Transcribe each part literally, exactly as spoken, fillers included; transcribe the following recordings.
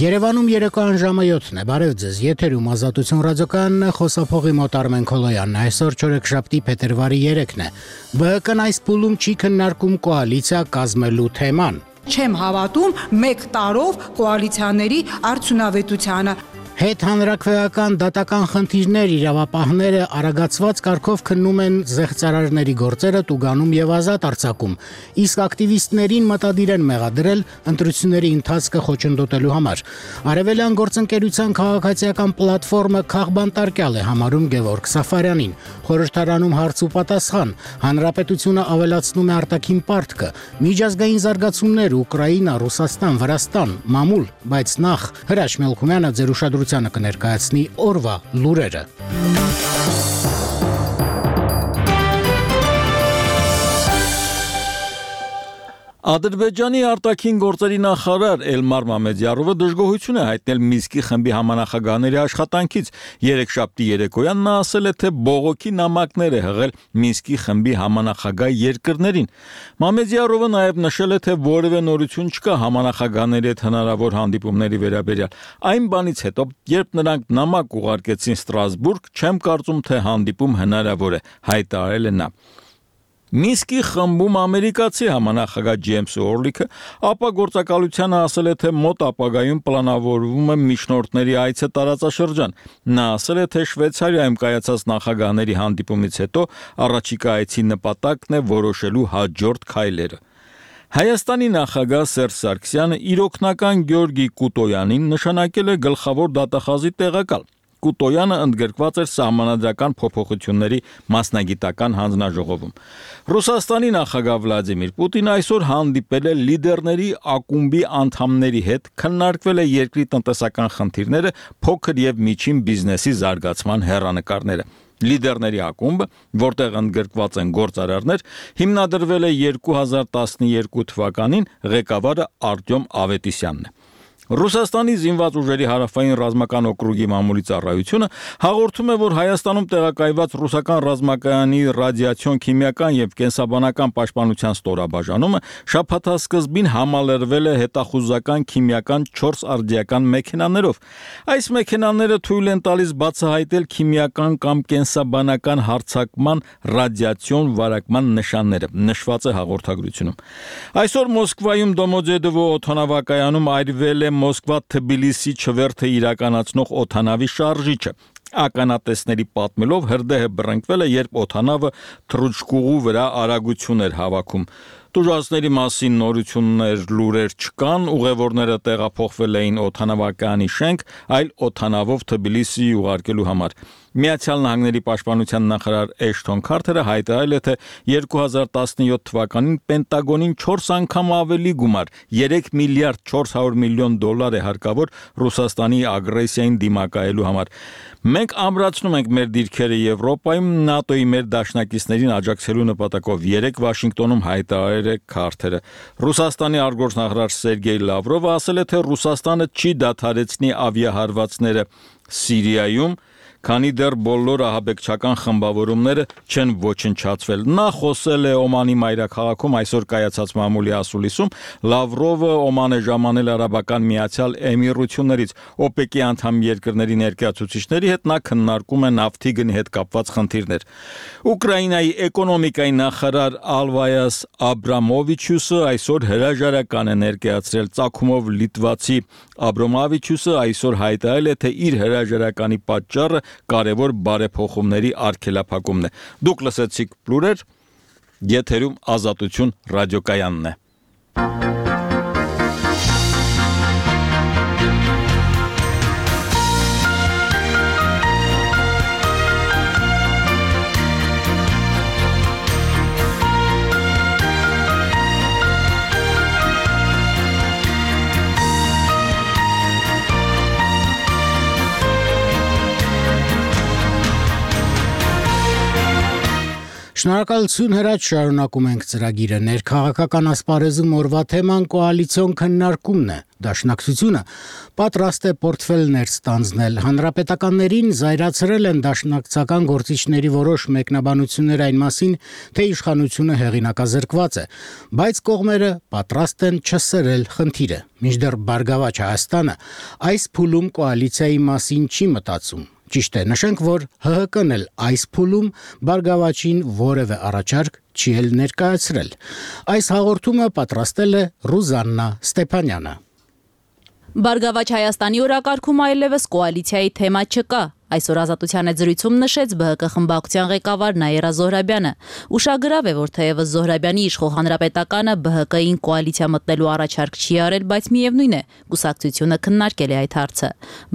Երևանում երեկոյան ժամը յոթն է, բարև ձեզ, եթերում Ազատություն ռադիոկայանն է, խոսափողի մոտ Արմեն Քոլոյանն է, այսօր չորեքշաբթի փետրվարի երեքն է, ԲՀԿ-ն այս փուլում չի քննարկում կոալիցիա կազմելու թեման։ Չեմ հավատում մեկ տարով կոալիցիաների արդյունավետությանը։ Հետ-հանրաքվեական դատական խնդիրներ իրավապահները արագացված կարգով քննում են զեղծարարների գործերը տուգանում եւ ազատ արձակում, իսկ ակտիվիստներին մտադիր են մեղադրել ընտրությունների ընթացքը խոչընդոտելու համար։ Արևելյան գործընկերության քաղաքացիական պլատֆորմը քաղբանտարկյալ է համարում Գևորգ Սաֆարյանին։ Խորհրդարանում հարց ու պատասխան, հանրապետությունը ավելացնում է արտաքին պարտքը, միջազգային զարգացումներ Ուկրաինա, Ռուսաստան, Վրաստան, մամուլ, բայց նախ Հրաչ Մելքումյանը ձեր ուշադրությանը կներկայացնի օրվա լուրերը։ Ադրբեջանի արտաքին գործերի նախարար Էլմար Մամեդյարովը դժգոհություն է հայտնել Մինսկի խմբի համանախագահների աշխատանքից։ Երեքշաբթի երեկոյան նա ասել է, թե բողոքի նամակներ է հղել Մինսկի խմբի համանախագահ երկրներին։ Մամեդյարովը նաև նշել է, թե որևէ նորություն չկա համանախագահների հետ հնարավոր հանդիպումների վերաբերյալ։ Այն բանից հետո, երբ նրանք նամակ ուղարկեցին Ստրասբուրգ, չեմ կարծում, թե հանդիպում հնարավոր է, հայտարարել է նա։ Մինսկի խմբում ամերիկացի համանախագահ Ջեյմս Օրլիքը ապա գործակալությանը ասել է, թե մոտ ապագայում պլանավորվում է միջնորդների այցը տարածաշրջան։ Նա ասել է, թե Շվեյցարիայում կայացած նախագահների հանդիպումից հետո առաջիկա այցի նպատակն է որոշելու հաջորդ քայլերը։ Հայաստանի նախագահ Սերժ Սարգսյանը իր օգնական Գյորգի Կուտոյանին նշանակել է գլխավոր դատախազի տեղակալ։ Կուտոյանը ընդգրկված էր սահմանադրական փոփոխությունների մասնագիտական հանձնաժողովում։ Ռուսաստանի նախագահ Վլադիմիր Պուտինը այսօր հանդիպել է լիդերների ակումբի անդամների հետ, քննարկվել է երկրի տնտեսական խնդիրները, փոքր եւ միջին բիզնեսի զարգացման հեռանկարները։ Լիդերների ակումբը, որտեղ ընդգրկված են գործարարներ, հիմնադրվել է երկու հազար տասնյոթ թվականին, ղեկավարը Արտյոմ Ավետիսյանն է։ Ռուսաստանի զինված ուժերի հարավային ռազմական օկրուգի մամուլի ծառայությունը հաղորդում է, որ Հայաստանում տեղակայված ռուսական ռազմակայանի ռադիացիոն քիմիական եւ կենսաբանական պաշտպանության ստորաբաժանումը շաբաթասկզբին համալրվել է հետախուզական քիմիական չորս արդիական մեքենաներով։ Այս մեքենաները թույլ են տալիս բացահայտել քիմիական կամ կենսաբանական հարձակման ռադիացիոն վարակման նշանները, նշված է հաղորդագրությունում։ Այսօր Մոսկվայում Դոմոդեդովո օդանավակայանում այրվել է Մոսկվա-Թբիլիսի չվերթը իրականացնող օդանավի շարժիչը։ Ականատեսների պատմելով հրդեհը բռնկվել է, երբ օդանավը թռուչկուղու վրա արագություն էր հավաքում։ Տուժածների մասին նորություններ լուրեր չկան, ուղևորները տեղափոխվել էին օդանավակայանի շենք, այլ օդանավով Թբիլիսի ուղարկելու համար։ Միացյալ Նահանգների պաշտպանության նախարար Էշթոն Քարթերը հայտարարել է, թե երկու հազար տասնյոթ թվականին Պենտագոնին չորս անգամ ավելի գումար, երեք միլիարդ չորս հարյուր միլիոն դոլար է հարկավոր Ռուսաստանի ագրեսիային դիմակայելու համար։ Մենք ամրացնում ենք մեր դիրքերը Եվրոպայում, ՆԱՏՕ-ի մեր դաշնակիցներին աջակցելու նպատակով, երեկ Վաշինգտոնում հայտարարել է Քարթերը։ Ռուսաստանի արտգործնախարար Սերգեյ Լավրովը ասել է, թե Ռուսաստանը չի դադարեցնի ավիահարվածները Սիրիայում, քանի դեռ բոլոր ահաբեկչական խմբավորումները չեն ոչնչացվել։ Նա խոսել է Օմանի մայրաքաղաքում այսօր կայացած մամուլի ասուլիսում։ Լավրովը Օման է ժամանել Արաբական Միացյալ Էմիրություններից։ օպեկի անդամ երկրների ներկայացուցիչների հետ նա քննարկում է նավթի գնի հետ կապված խնդիրներ։ Ուկրաինայի էկոնոմիկայի նախարար Ալվայաս Աբրամովիչյուսը այսօր հրաժարական է ներկայացրել ծագումով լիտվացի Աբրամովիչյուսը այսօր հայտարարել է, թե իր հրաժարականի պատճառը կարևոր բարեփոխումների արգելափակումն է։ Դուք լսեցիք լուրեր, եթերում Ազատություն ռադիոկայանն է։ Շնորհակալություն Հրաչ, շարունակում ենք ծրագիրը։ Ներքաղաքական ասպարեզում օրվա թեման կոալիցիոն քննարկումն է։ Դաշնակցությունը պատրաստ է պորտֆելներ ստանձնել։ Հանրապետականներին զայրացրել են դաշնակցական գործիչների որոշ մեկնաբանություններ այն մասին, թե իշխանությունը հեղինակազրկված է, բայց կողմերը պատրաստ են չսրել խնդիրը։ Մինչդեռ Բարգավաճ Հայաստանը այս փուլում կոալիցիայի մասին չի մտածում։ Ճիշտ է, նշենք, որ ՀՀԿ-ն էլ այս փուլում Բարգավաճին որևէ առաջարկ չի էլ ներկայացրել։ Այս հաղորդումը պատրաստել է Ռուզաննա Ստեփանյանը։ Բարգավաճ Հայաստանի օրակարգում այլևս կոալիցիայի թեմա չկա։ Այսօր Ազատության զրույցում նշեց ԲՀԿ խմբակցության ղեկավար Նաիրա Զոհրաբյանը։ Ուշագրավ է, որ թեևս Զոհրաբյանի իշխող Հանրապետականը ԲՀԿ-ին կոալիցիա մտնելու առաջարկ չի արել, բայց միևնույն է, կուսակցությունը քննարկել է այդ հարցը։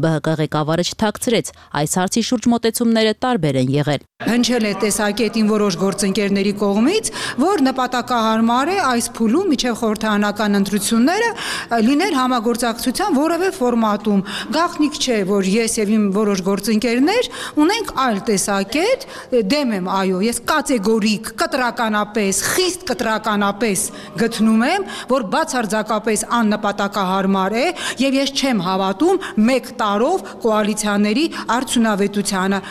ԲՀԿ ղեկավարը չթաքցրեց, այս հարցի շուրջ մոտեցումները տարբեր են եղել։ Հնչել է տեսակետին որոշ գործընկերների կողմից, որ նպատակահարմար է այս փուլում միջև խորհրդարանական ընտրությունները լինել համագործակցության որևէ ֆորմատում։ Գաղտնիք չէ, որ ես եւ իմ որոշ գործընկերներ ունենք այլ տեսակետ, դեմ եմ, այո, ես կատեգորիկ, կտրականապես, խիստ կտրականապես գտնում եմ, որ բացարձակապես աննպատակահարմար է եւ ես չեմ հավատում մեկ տարով կոալիցիաների արդյունավետությանը։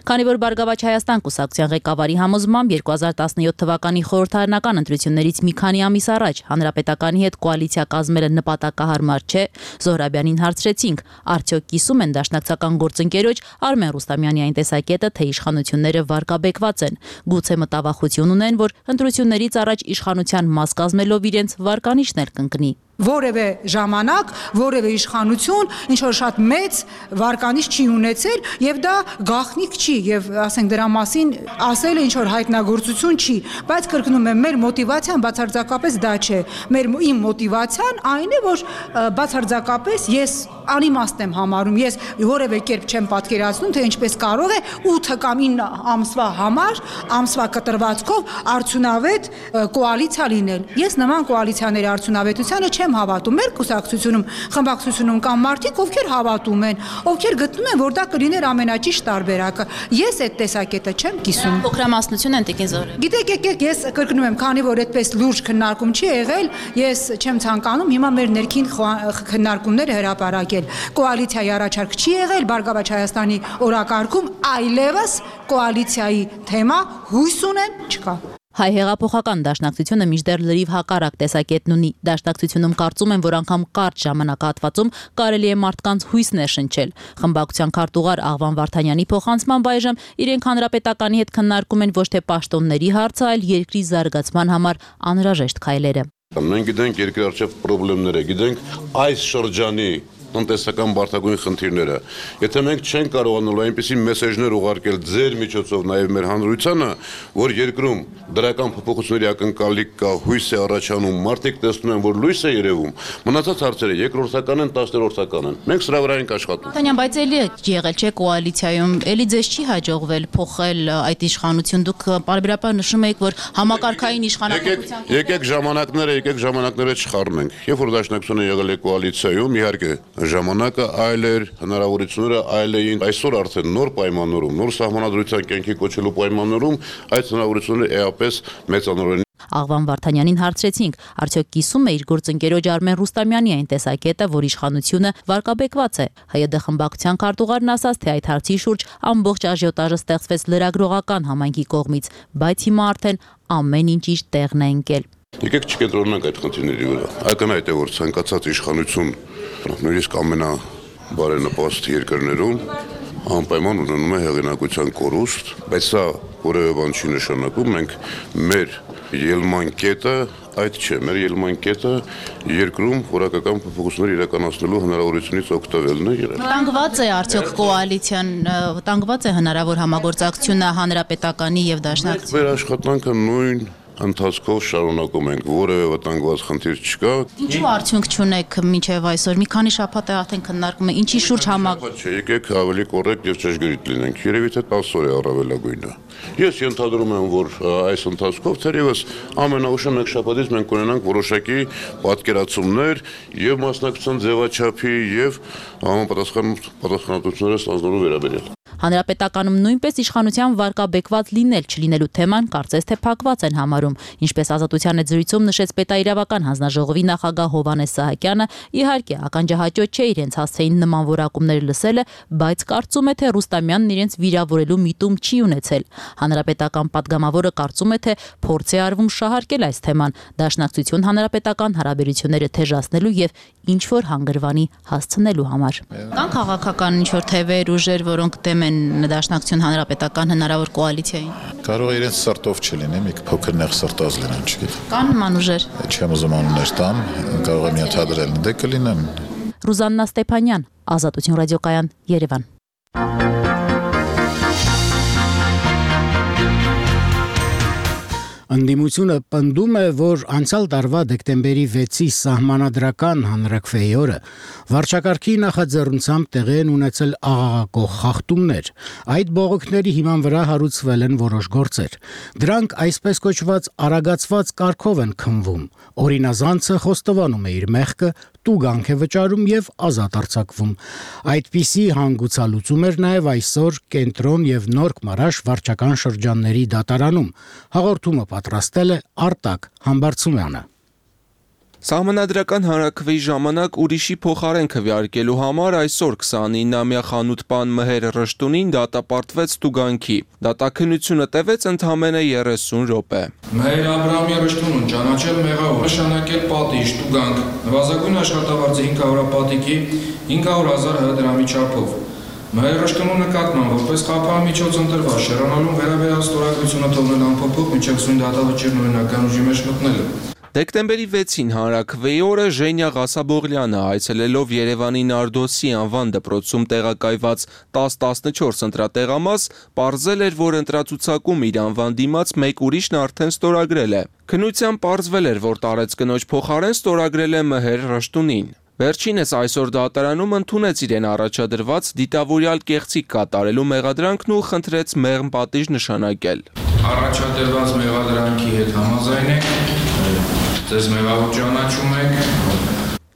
Քանի որ Բարգավաճ Հայաստան կուսակցության ղեկավարի համոզմամբ երկու հազար տասնյոթ թվականի խորհրդարանական ընտրություններից մի քանի ամիս առաջ Հանրապետականի հետ կոալիցիա կազմելը նպատակահարմար չէ, Զոհրաբյանին հարցրեցինք, արդյոք կիսում են դաշնակցական գործընկերոջ Արմեն Ռուստամյանի այն տեսակետը, թե իշխանությունները վարկաբեկված են, գուցե մտավախություն ունեն, որ ընտրություններից առաջ իշխանության մաս կազմելով իրենց վարկանիշն էլ կընկնի։ Որևէ ժամանակ, որևէ իշխանություն ինչ որ շատ մեծ վարկանիշ չի ունեցել եւ դա գաղտնիք չի եւ ասենք դրա մասին ասել ինչ որ հայտնագործություն չի, բայց կրկնում եմ, մեր մոտիվացիան բացարձակապես դա չէ։ Մեր իմ մոտիվացիան այն է, որ բացարձակապես ես անիմաստ եմ համարում, ես որևէ կերպ չեմ պատկերացնում, թե ինչպես կարող է ութ կամ ինը ամսվա համար, ամսվա կտրվածքով արդյունավետ կոալիցիա լինել։ Ես նման կոալիցիաների արդյունավետությանը չեմ հավատում։ Մեր կուսակցությունում, խմբակցությունում կան մարդիկ, ովքեր հավատում են, ովքեր գտնում են, որ դա կլիներ ամենաճիշտ տարբերակը։ Ես այդ տեսակետը չեմ կիսում։ Փոքրամասնություն են տիկին Զոհրաբյան։ Գիտեք, եկեք, ես կրկնում եմ, քանի որ այդպես լուրջ քննարկում չի եղել, ես չեմ ցանկանում հիմա մեր ներքին քննարկումները հրապարակել։ Կոալիցիայի առաջարկ չի եղել Բարգավաճ Հայաստանի օրակարգում, այլևս կոալիցիայի թեմա հույս ունեմ չկա։ Հայ հեղափոխական դաշնակցությունը մինչդեռ լրիվ հակառակ տեսակետն ունի։ Դաշնակցությունում կարծում են, որ անգամ կարճ ժամանակահատվածում կարելի է մարդկանց հույս ներշնչել։ Խմբակցության քարտուղար Աղվան Վարդանյանի փոխանցմամբ այժմ իրենք Հանրապետականի հետ քննարկում են ոչ թե պաշտոնների հարցը, այլ երկրի զարգացման համար անհրաժեշտ քայլերը։ Մենք գիտենք երկրի առջև խնդիրները, գիտենք այս շրջանի տնտեսական բարդագույն խնդիրները։ Եթե մենք չենք կարողանալու այնպիսի մեսեջներ ուղարկել ձեր միջոցով նաև մեր հանրությանը, որ երկրում դրական փոփոխությունների ակնկալիք կա, հույս է առաջանում, մարդիկ տեսնում են, որ լույս է երևում, մնացած հարցերը երկրորդական են, տասներորդական են։ Մենք սրա վրա ենք աշխատում։ Տանյան, բայց էլի եղել չէ կոալիցիայում, էլի ձեզ չի հաջողվել փոխել այդ իշխանություն։ Դուք պարբերաբար նշում եք, որ համակարգային իշխանապետության Եկեք ժամանակները, եկեք ժամանակները չխառնենք։ Երբ որ դաշնակցությունը եղել է կոալիցիայում, իհարկե ժամանակը այլ էր, հնարավորությունները այլ էին։ Այսօր արդեն նոր պայմաններում, նոր սահմանադրության կյանքի կոչելու պայմաններում այդ հնարավորությունները էապես մեծանորեն։ Աղվան Վարդանյանին հարցրեցինք, արդյոք կիսում է իր գործընկերոջ Արմեն Ռուստամյանի այն տեսակետը, որ իշխանությունը վարկաբեկված է։ ՀՅԴ խմբակցության քարտուղարն ասաց, թե այդ հարցի շուրջ ամբողջ աժիոտաժը ստեղծվեց լրագրողական համայնքի կողմից, բայց հիմա արդեն ամեն ինչ իր տեղն է ընկել։ Եկեք չկենտրոնանանք այդ խնդիրների վրա։ Ակնհայտ է, որ ցանկացած իշխանություն, նույնիսկ ամենաբարենպաստ երկրներում անպայման ունենում է հեղինակության կորուստ, բայց սա որևէ բան չի նշանակում, մենք մեր ելման կետը այդ չէ, մեր ելման կետը երկրում որակական փոփոխություններ իրականացնելու հնարավորությունից օգտվելն է եղել։ Վտանգված է արդյոք կոալիցիան, վտանգված է հնարավոր համագործակցությունը Հանրապետականի եւ Դաշնակցության։ Մեր աշխատանքը նույն ընթացքով շարունակում ենք, որևէ վտանգված խնդիր չկա։ Ինչու արդյունք չունեք մինչև այսօր։ Մի քանի շաբաթ է արդեն քննարկում է, ինչի շուրջ համակ։ Չէ, եկեք ավելի կոռեկտ եւ ճշգրիտ լինենք։ Երևի թե տասը օր է առավելագույնը։ Ես ենթադրում եմ, որ այս ընթացքով թերևս ամենաուշը մեկ շաբաթից մենք կունենանք որոշակի պատկերացումներ եւ մասնակցության ձևաչափի եւ համապատասխան պատասխանատվությունները ստանձնելու վերաբերյալ։ Հանրապետականում նույնպես իշխանության վարկաբեկված լինել չլինելու թեման կարծես թե փակված են համարում, ինչպես Ազատության հետ զրույցում նշեց պետաիրավական հանձնաժողովի նախագահ Հովհաննես Սահակյանը, իհարկե ականջահաճո չէ իրենց հասցեին նման որակումներ լսելը, բայց կարծում է, թե Ռուստամյանն իրենց վիրավորելու միտում չի ունեցել։ Հանրապետական պատգամավորը կարծում է, թե փորձ է արվում շահարկել այս թեման, դաշնակցություն հանրապետական հարաբերությունները թեժացնելու եւ ինչ որ հանգրվանի հասցնելու համար։ Կան քաղաքական ինչ որ թևեր, ուժեր, որոնք դեմ են դաշնակցություն հանրապետական հնարավոր կոալիցիային։ Կարող է իրենց սրտով չլինի, մի փոքր նեղ սրտած լինեն, չգիտեմ։ Կան նման ուժեր։ Չեմ ուզում անուններ տամ, կարող եմ ենթադրել, դե կլինեն։ Ռուզաննա Ստեփանյան, Ազատություն ռադիոկայան, Երևան։ Ընդդիմությունը պնդում է, որ անցյալ տարվա դեկտեմբերի վեցի սահմանադրական հանրաքվեի օրը վարչակարգի նախաձեռնությամբ տեղի են ունեցել աղաղակող խախտումներ։ Այդ բողոքների հիման վրա հարուցվել են որոշ գործեր։ Դրանք այսպես կոչված արագացված կարգով են քննվում։ Օրինազանցը խոստովանում է իր մեղքը, տուգանք է վճարում եւ ազատ արձակվում։ Այդպիսի հանգուցալուծում էր նաեւ այսօր Կենտրոն եւ Նորք Մարաշ վարչական շրջանների դատարանում։ Հաղորդումը պատրաստել է Արտակ Համբարձումյանը։ Սահմանադրական հանրաքվեի ժամանակ ուրիշի փոխարեն քվեարկելու համար այսօր քսանինամյա խանութպան Մհեր Ռշտունին դատապարտվեց տուգանքի։ Դատաքննությունը տևեց ընդամենը երեսուն րոպե։ Մհեր Աբրահամի Ռշտունուն ճանաչել մեղավոր, նշանակել պատիժ, տուգանք, նվազագույն աշխատավարձի հինգ հարյուր պատիկի հինգ հարյուր հազար դրամի չափով։ Մհեր Ռշտունու նկատմամբ որպես խափանմիջոց ընտրված շերանալուն վերաբերյալ ստորագրությունը թողնել անփոփոխ մինչև սույն դատավճիռն օրինական ուժի մեջ մտնելը։ Դեկտեմբերի վեցին հանրաքվեի օրը Ժենյա Ղասաբօղլյանը այցելելով Երևանի Նարդոսի անվան դպրոցում տեղակայված տասը տասնչորս ընտրատեղամաս պարզել էր, որ ընտրացուցակում իր անվան դիմաց մեկ ուրիշն արդեն ստորագրել է։ Քննությամբ պարզվել էր, որ տարեց կնոջ փոխարեն ստորագրել է Մհեր Ռշտունին։ Վերջինս այսօր դատարանում ընդունեց իրեն առաջադրված դիտավորյալ կեղծիք կատարելու մեղադրանքն ու խնդրեց մեղմ պատիժ նշանակել։ Առաջադրված մեղադրանքի հետ համաձայն եք, ձեզ մեղավոր ճանաչում եք։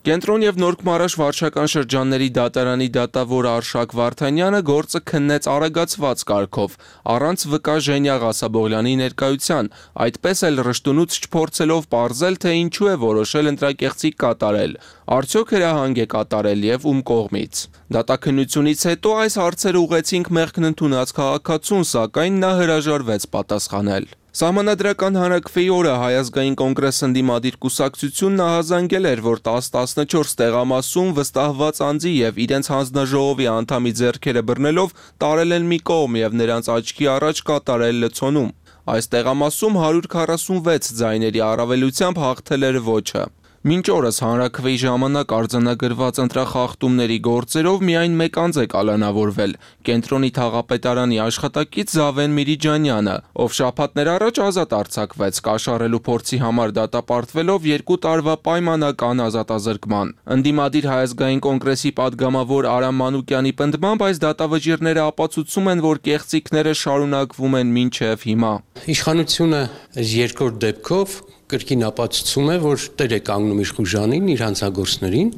Կենտրոն եւ Նորք Մարաշ վարչական շրջանների դատարանի դատավոր Արշակ Վարդանյանը գործը քննեց արագացված կարգով, առանց վկա Ժենյա Ղասաբօղլյանի ներկայության, այդպես էլ Ռշտունուց չփորձելով պարզել, թե ինչու է որոշել ընտրակեղծիք կատարել, արդյոք հրահանգ է կատարել եւ ում կողմից։ Դատաքննությունից հետո այս հարցերը ուղեցինք մեղքն ընդունած քաղաքացուն, սակայն նա հրաժարվեց պատասխանել։ Սահմանադրական հանրաքվեի օրը Հայ ազգային կոնգրես ընդդիմադիր կուսակցությունն ահազանգել էր, որ տասը տասնչորս տեղամասում վստահված անձի եւ իրենց հանձնաժողովի անդամի ձեռքերը բռնելով տարել են մի կողմ եւ նրանց աչքի առաջ կատարել լցոնում։ Այս տեղամասում հարյուր քառասունվեց ձայների առավելությամբ հաղթել էր ոչը։ Մինչ օրս հանրաքվեի ժամանակ արձանագրված ընտրախախտումների գործերով միայն մեկ անձ է կալանավորվել՝ Կենտրոնի թաղապետարանի աշխատակից Զավեն Միրիջանյանը, ով շաբաթներ առաջ ազատ արձակվեց կաշառելու փորձի համար դատապարտվելով երկու տարվա պայմանական ազատազրկման։ Ընդդիմադիր Հայ ազգային կոնգրեսի падգամավոր Արամ Մանուկյանի պնդմամբ այս դատավճիռները ապացուցում են, որ կեղծիքները շարունակվում են մինչև հիմա։ Իշխանությունը երկրորդ դեպքով կրկին ապացուցում է, որ տեր է կանգնում իր խուժանին, իր հանցագործներին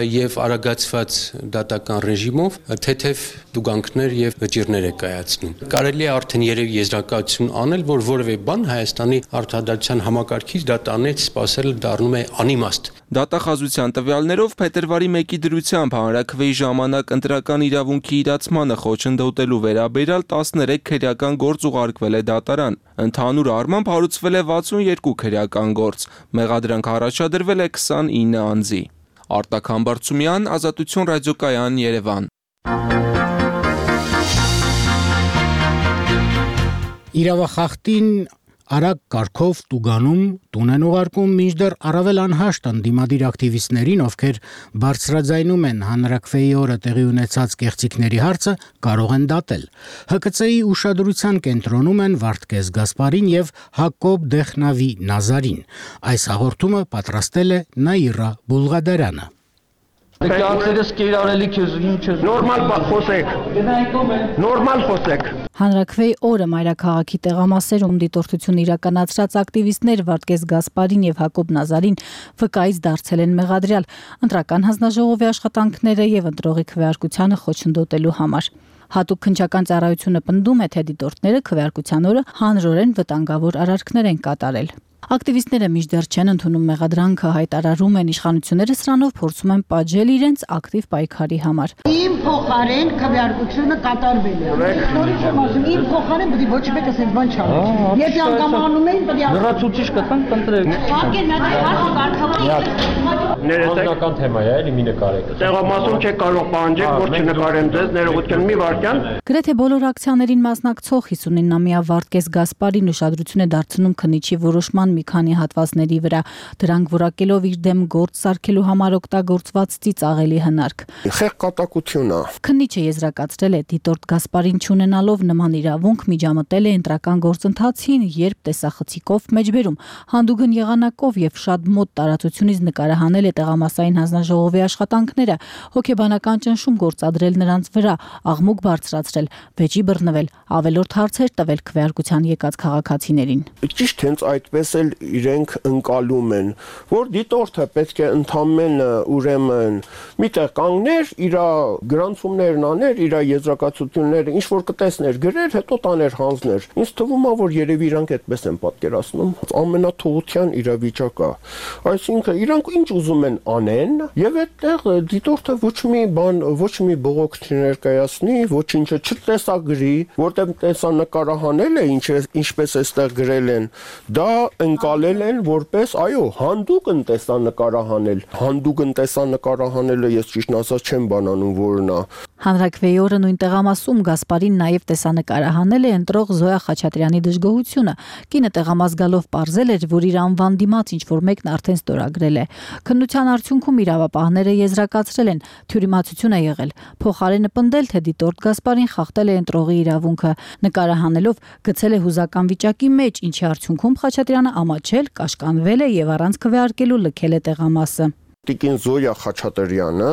եւ արագացված դատական ռեժիմով թեթև դուգանքներ եւ վճիռներ է կայացնում։ Կարելի է արդեն երևի եզրակացություն անել, որ որևէ բան Հայաստանի արդարադատության համակարգից դատանից սпасելը դառնում է անիմաստ։ Դատախազության տվյալներով փետրվարի մեկի դրությամբ հանրաքվեի ժամանակ ընտրական իրավունքի իրացմանը խոչընդոտելու վերաբերյալ տասներեք քրեական գործ ուղարկվել է դատարան։ Ընդհանուր առմամբ հարուցվել է վաթսունյոթ քրեական գործ, մեղադրանք առաջադրվել է քսանինը անձի։ Արտակ Համբարձումյան, Ազատություն ռադիոկայան, Երևան։ Իրավախախտին արագ կարգով տուգանում տուն են ուղարկում, մինչդեռ առավել անհաշտ ընդդիմադիր ակտիվիստներին, ովքեր բարձրաձայնում են հանրաքվեի օրը տեղի ունեցած կեղծիքների հարցը, կարող են դատել։ Հ K C-ի ուշադրության կենտրոնում են Վարդգես Գասպարին եւ Հակոբ Դեխնավի Նազարին։ Այս հաղորդումը պատրաստել է Նաիրա Բուլղադարյանը։ Կյանքերս կիրառելի քեզ ինչ նորմալ խոսեք։ Նորմալ խոսեք։ Հանրաքվեի օրը մայրաքաղաքի տեղամասերում դիտորդություն իրականացրած ակտիվիստներ Վարդգես Գասպարին եւ Հակոբ Նազարին վկայից դարձել են մեղադրյալ ընտրական հանձնաժողովի աշխատանքները եւ ընտրողի քվեարկությանը խոչընդոտելու համար։ Հատուկ քննչական ծառայությունը պնդում է, թե դիտորդները քվեարկության օրը հանրորեն վտանգավոր արարքներ են կատարել։ Ակտիվիստները մինչդեռ չեն ընդունում մեղադրանքը, հայտարարում են իշխանությունները սրանով փորձում են պատժել իրենց ակտիվ պայքարի համար։ Իմ փոխարեն քվեարկությունը կատարվել է։ Նորից եմ ասում, իմ փոխարեն պետք է ոչ մեկը ասել բան չանի։ Եթե անգամ անում էին, պետք է լրացուցիչ կտան, կընտրեք։ Անկեն նա հարցը Անձնական թեմա է, էլի մի նկարեք։ Տեղամասում չեք կարող պահանջել, որ չնկարեմ ձեզ, ներողություն մի վարքյան։ Գրեթե բոլոր ակցիաներին մասնակցող հիսունինամյա Վարդգես Գասպարին ուշադրություն է դարձնում քննիչի որոշման մի քանի հատվածների վրա, դրանք որակելով իր դեմ գործ սարքելու համար օգտագործված ծիծաղելի հնարք։ Խեղճակատություն է։ Քննիչը եզրակացրել է, դիտորդ Գասպարին չունենալով նման իրավունք միջամտել է ընտրական գործընթացին, երբ տեսախցիկով մեջբերում, հանդուգն եղանակով եւ շատ մոտ տարածությունից նկարահանել է տեղամասային հանձնաժողովի աշխատանքները, հոգեբանական ճնշում գործադրել նրանց վրա, աղմուկ բարձրացրել, վեճի բռնվել, ավելորդ հարցեր տվել քվեարկության եկած քաղաքացիներին։ Ճիշտ հենց այդպես էլ իրենք ընկալում են, որ դիտորդը պետք է ընդամենը ուրեմն միտեղ կանգներ, իր գրանցումներն աներ, իր եզրակացությունները ինչ որ կտեսներ գրեր, հետո տաներ հանձներ։ Ինձ թվում է, որ երևի իրանք այդպես են պատկերացնում։ Ամենաթողության իրավիճակ է։ Այսինքն իրանք ինչ ուզում են անեն, եւ այդտեղ դիտորդը ոչ մի բան, ոչ մի բողոք չներկայացնի, ոչինչը չտեսագրի, որտեղ տեսանկարահանել է, ինչ ինչպես էստեղ գրել են, դա ընկալել են որպես, այո, հանդուգն տեսանկարահանել։ Հանդուգն տեսանկարահանելը ես ճիշտ ասած չեմ բանանում, որն է։ Հանրաքվեի օրը նույն տեղամասում Գասպարին նաև տեսանկարահանել է ընտրող Զոյա Խաչատրյանի դժգոհությունը։ Կինը տեղամաս գալով պարզել էր, որ իր անվան դիմաց ինչ որ մեկն արդեն ստորագրել է։ Քննության արդյունքում իրավապահները եզրակացրել են, թյուրիմացություն է եղել։ Փոխարենը պնդել, թե դիտորդ Գասպարին խախտել է ընտրողի իրավունքը, նկարահանելով գցել է հուզական վիճակի մեջ, ինչի արդյունքում Խաչատրյանը ամաչել, կաշկանդվել է եւ առանց քվեարկելու լքել է տեղամասը։ Տիկին Զոյա Խաչատրյանը,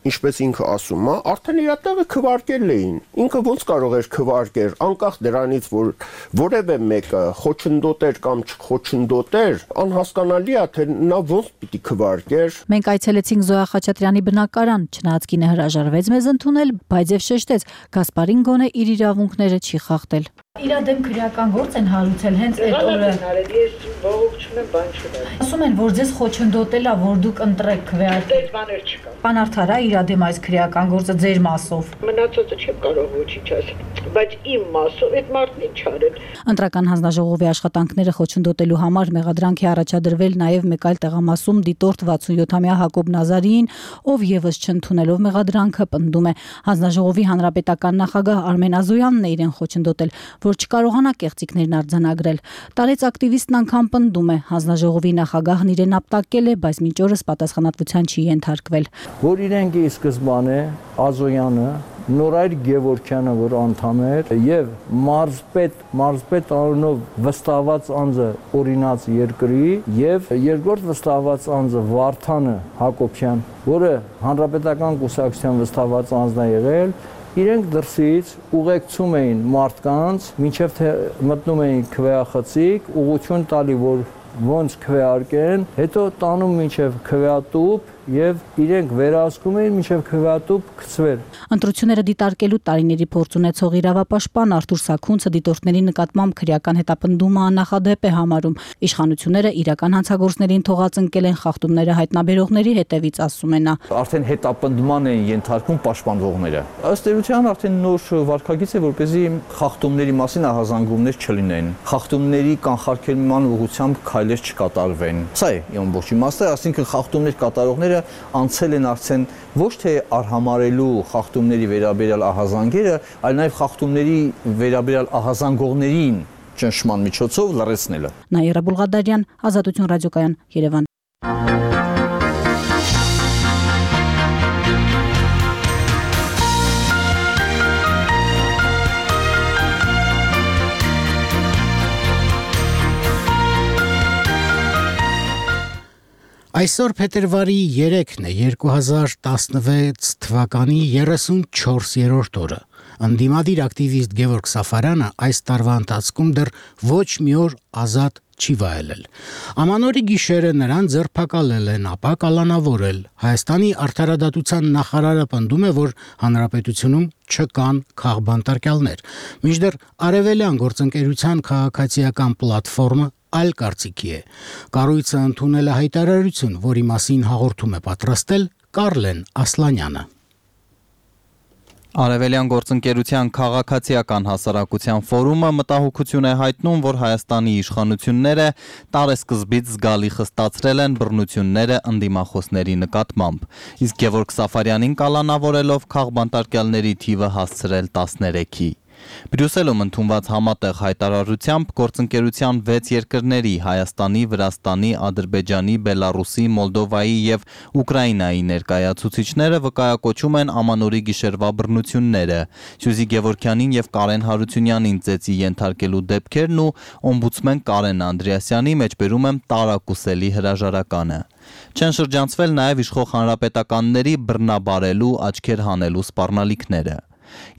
ինչպես ինքը ասում է, արդեն իր տեղը քվարկել էին։ Ինքը ոնց կարող էր քվարկել, անկախ դրանից, որ որևէ մեկը խոչընդոտեր կամ չխոչընդոտեր, անհասկանալի է, թե նա ոնց պիտի քվարկեր։ Մենք այցելեցինք Զոյա Խաչատրյանի բնակարան, չնայած կինը հրաժարվեց մեզ ընդունել, բայց եւ շեշտեց, Գասպարին գոնե իր իրավունքները չի խախտել։ Իր դեմ քրեական գործ են հարուցել հենց այդ օրը։ Ես բողոք չունեմ, բան չունեմ։ Ասում են, որ ձեզ խոչընդոտել է, որ դուք ընտրեք քվեարկել։ Այդ բաներ չկա։ Պան Արթարա իր դեմ այս քրեական գործը ձեր մասով։ Մնացածը չեմ կարող ոչինչ ասել, բայց իմ մասով այդ մարդն ինչ արել։ Ընտրական հանձնաժողովի աշխատանքները խոչընդոտելու համար մեղադրանք է առաջադրվել նաև մեկ այլ տեղամասում դիտորդ վաթսունյոթամյա Հակոբ Նազարիին, ով եւս չընդունելով մեղադրանքը պնդում է հանձնաժողովի հանրապետական նախագահ Արմեն Ազոյանն է իրեն խոչընդոտել, որ չկարողանա կեղծիքներն արձանագրել։ Տարեց ակտիվիստն անգամ պնդում է, հանձնաժողովի նախագահն իրեն ապտակել է, բայց մինչ օրս պատասխանատվության չի ենթարկվել։ Որ իրենք ի սկզբանե Ազոյանը, Նորայր Գևորգյանը, որ անդամ էր, եւ մարզպետ, մարզպետ անունով վստահված անձը օրինաց երկրի եւ երկրորդ վստահված անձը Վարդանը Հակոբյան, որը հանրապետական կուսակցության վստահված անձն է եղել, իրենք դրսից ուղեկցում էին մարդկանց, մինչև թե մտնում էին քվեախցիկ, ուղղություն տալի, որ ոնց քվեարկեն, հետո տանում մինչև քվեատուփ եւ իրենք վերահսկում էին մինչև քվեատուփ գցվեր։ Ընտրությունները դիտարկելու տարիների փորձ ունեցող իրավապաշտպան Արթուր Սաքունցը դիտորդների նկատմամբ քրեական հետապնդումը աննախադեպ է համարում։ Իշխանությունները իրական հանցագործներին թողած ընկել են խախտումները հայտնաբերողների հետևից, ասում է նա։ Արդեն հետապնդման են ենթարկում պաշտպանողները։ Ըստ էության արդեն նոր վարքագիծ է, որպեսզի խախտումների մասին ահազանգումներ չլինեն։ Խախտումների կանխարգելման ուղղությամբ քայլեր չկատարվեն։ Սա է ամբողջ իմաստը, այսինքն խախտումներ կատարողները անցել են արդեն ոչ թե արհամարելու խախտումների վերաբերյալ ահազանգերը, այլ նաև խախտումների վերաբերյալ ահազանգողներին ճնշման միջոցով լռեցնելը։ Նաիրա Բուլղադարյան, Ազատություն ռադիոկայան, Երևան։ Այսօր փետրվարի երեքն է, երկու հազար տասնվեց թվականի երեսունչորսերորդ օրը։ Ընդդիմադիր ակտիվիստ Գևորգ Սաֆարյանը այս տարվա ընթացքում դեռ ոչ մի օր ազատ չի վայելել։ Ամանորի գիշերը նրան ձերբակալել են, ապա կալանավորել։ Հայաստանի արդարադատության նախարարը պնդում է, որ հանրապետությունում չկան քաղբանտարկյալներ։ Մինչդեռ Արևելյան գործընկերության քաղաքացիական պլատֆորմը այլ կարծիքի է։ Կառույցը ընդունել է հայտարարություն, որի մասին հաղորդում է պատրաստել Կարլեն Ասլանյանը։ Արևելյան գործընկերության քաղաքացիական հասարակության ֆորումը մտահոգություն է հայտնում, որ Հայաստանի իշխանությունները տարեսկզբից զգալի խստացրել են բռնությունները ընդդիմախոսների նկատմամբ, իսկ Գևորգ Սաֆարյանին կալանավորելով քաղբանտարկյալների թիվը հասցրել տասներեքի։ Բրյուսելում ընդունված համատեղ հայտարարությամբ գործընկերության վեց երկրների Հայաստանի, Վրաստանի, Ադրբեջանի, Բելարուսի, Մոլդովայի և Ուկրաինայի ներկայացուցիչները վկայակոչում են Ամանորի գիշերվա բռնությունները, Սյուզի Գևորգյանին և Կարեն Հարությունյանին ծեծի ենթարկելու դեպքերն ու օմբուդսմեն Կարեն Անդրեասյանի մեջբերում եմ տարակուսելի հրաժարականը։ Չեն շրջանցվել նաև իշխող հանրապետականների բռնաբարելու, աչքեր հանելու սպառնալիքները։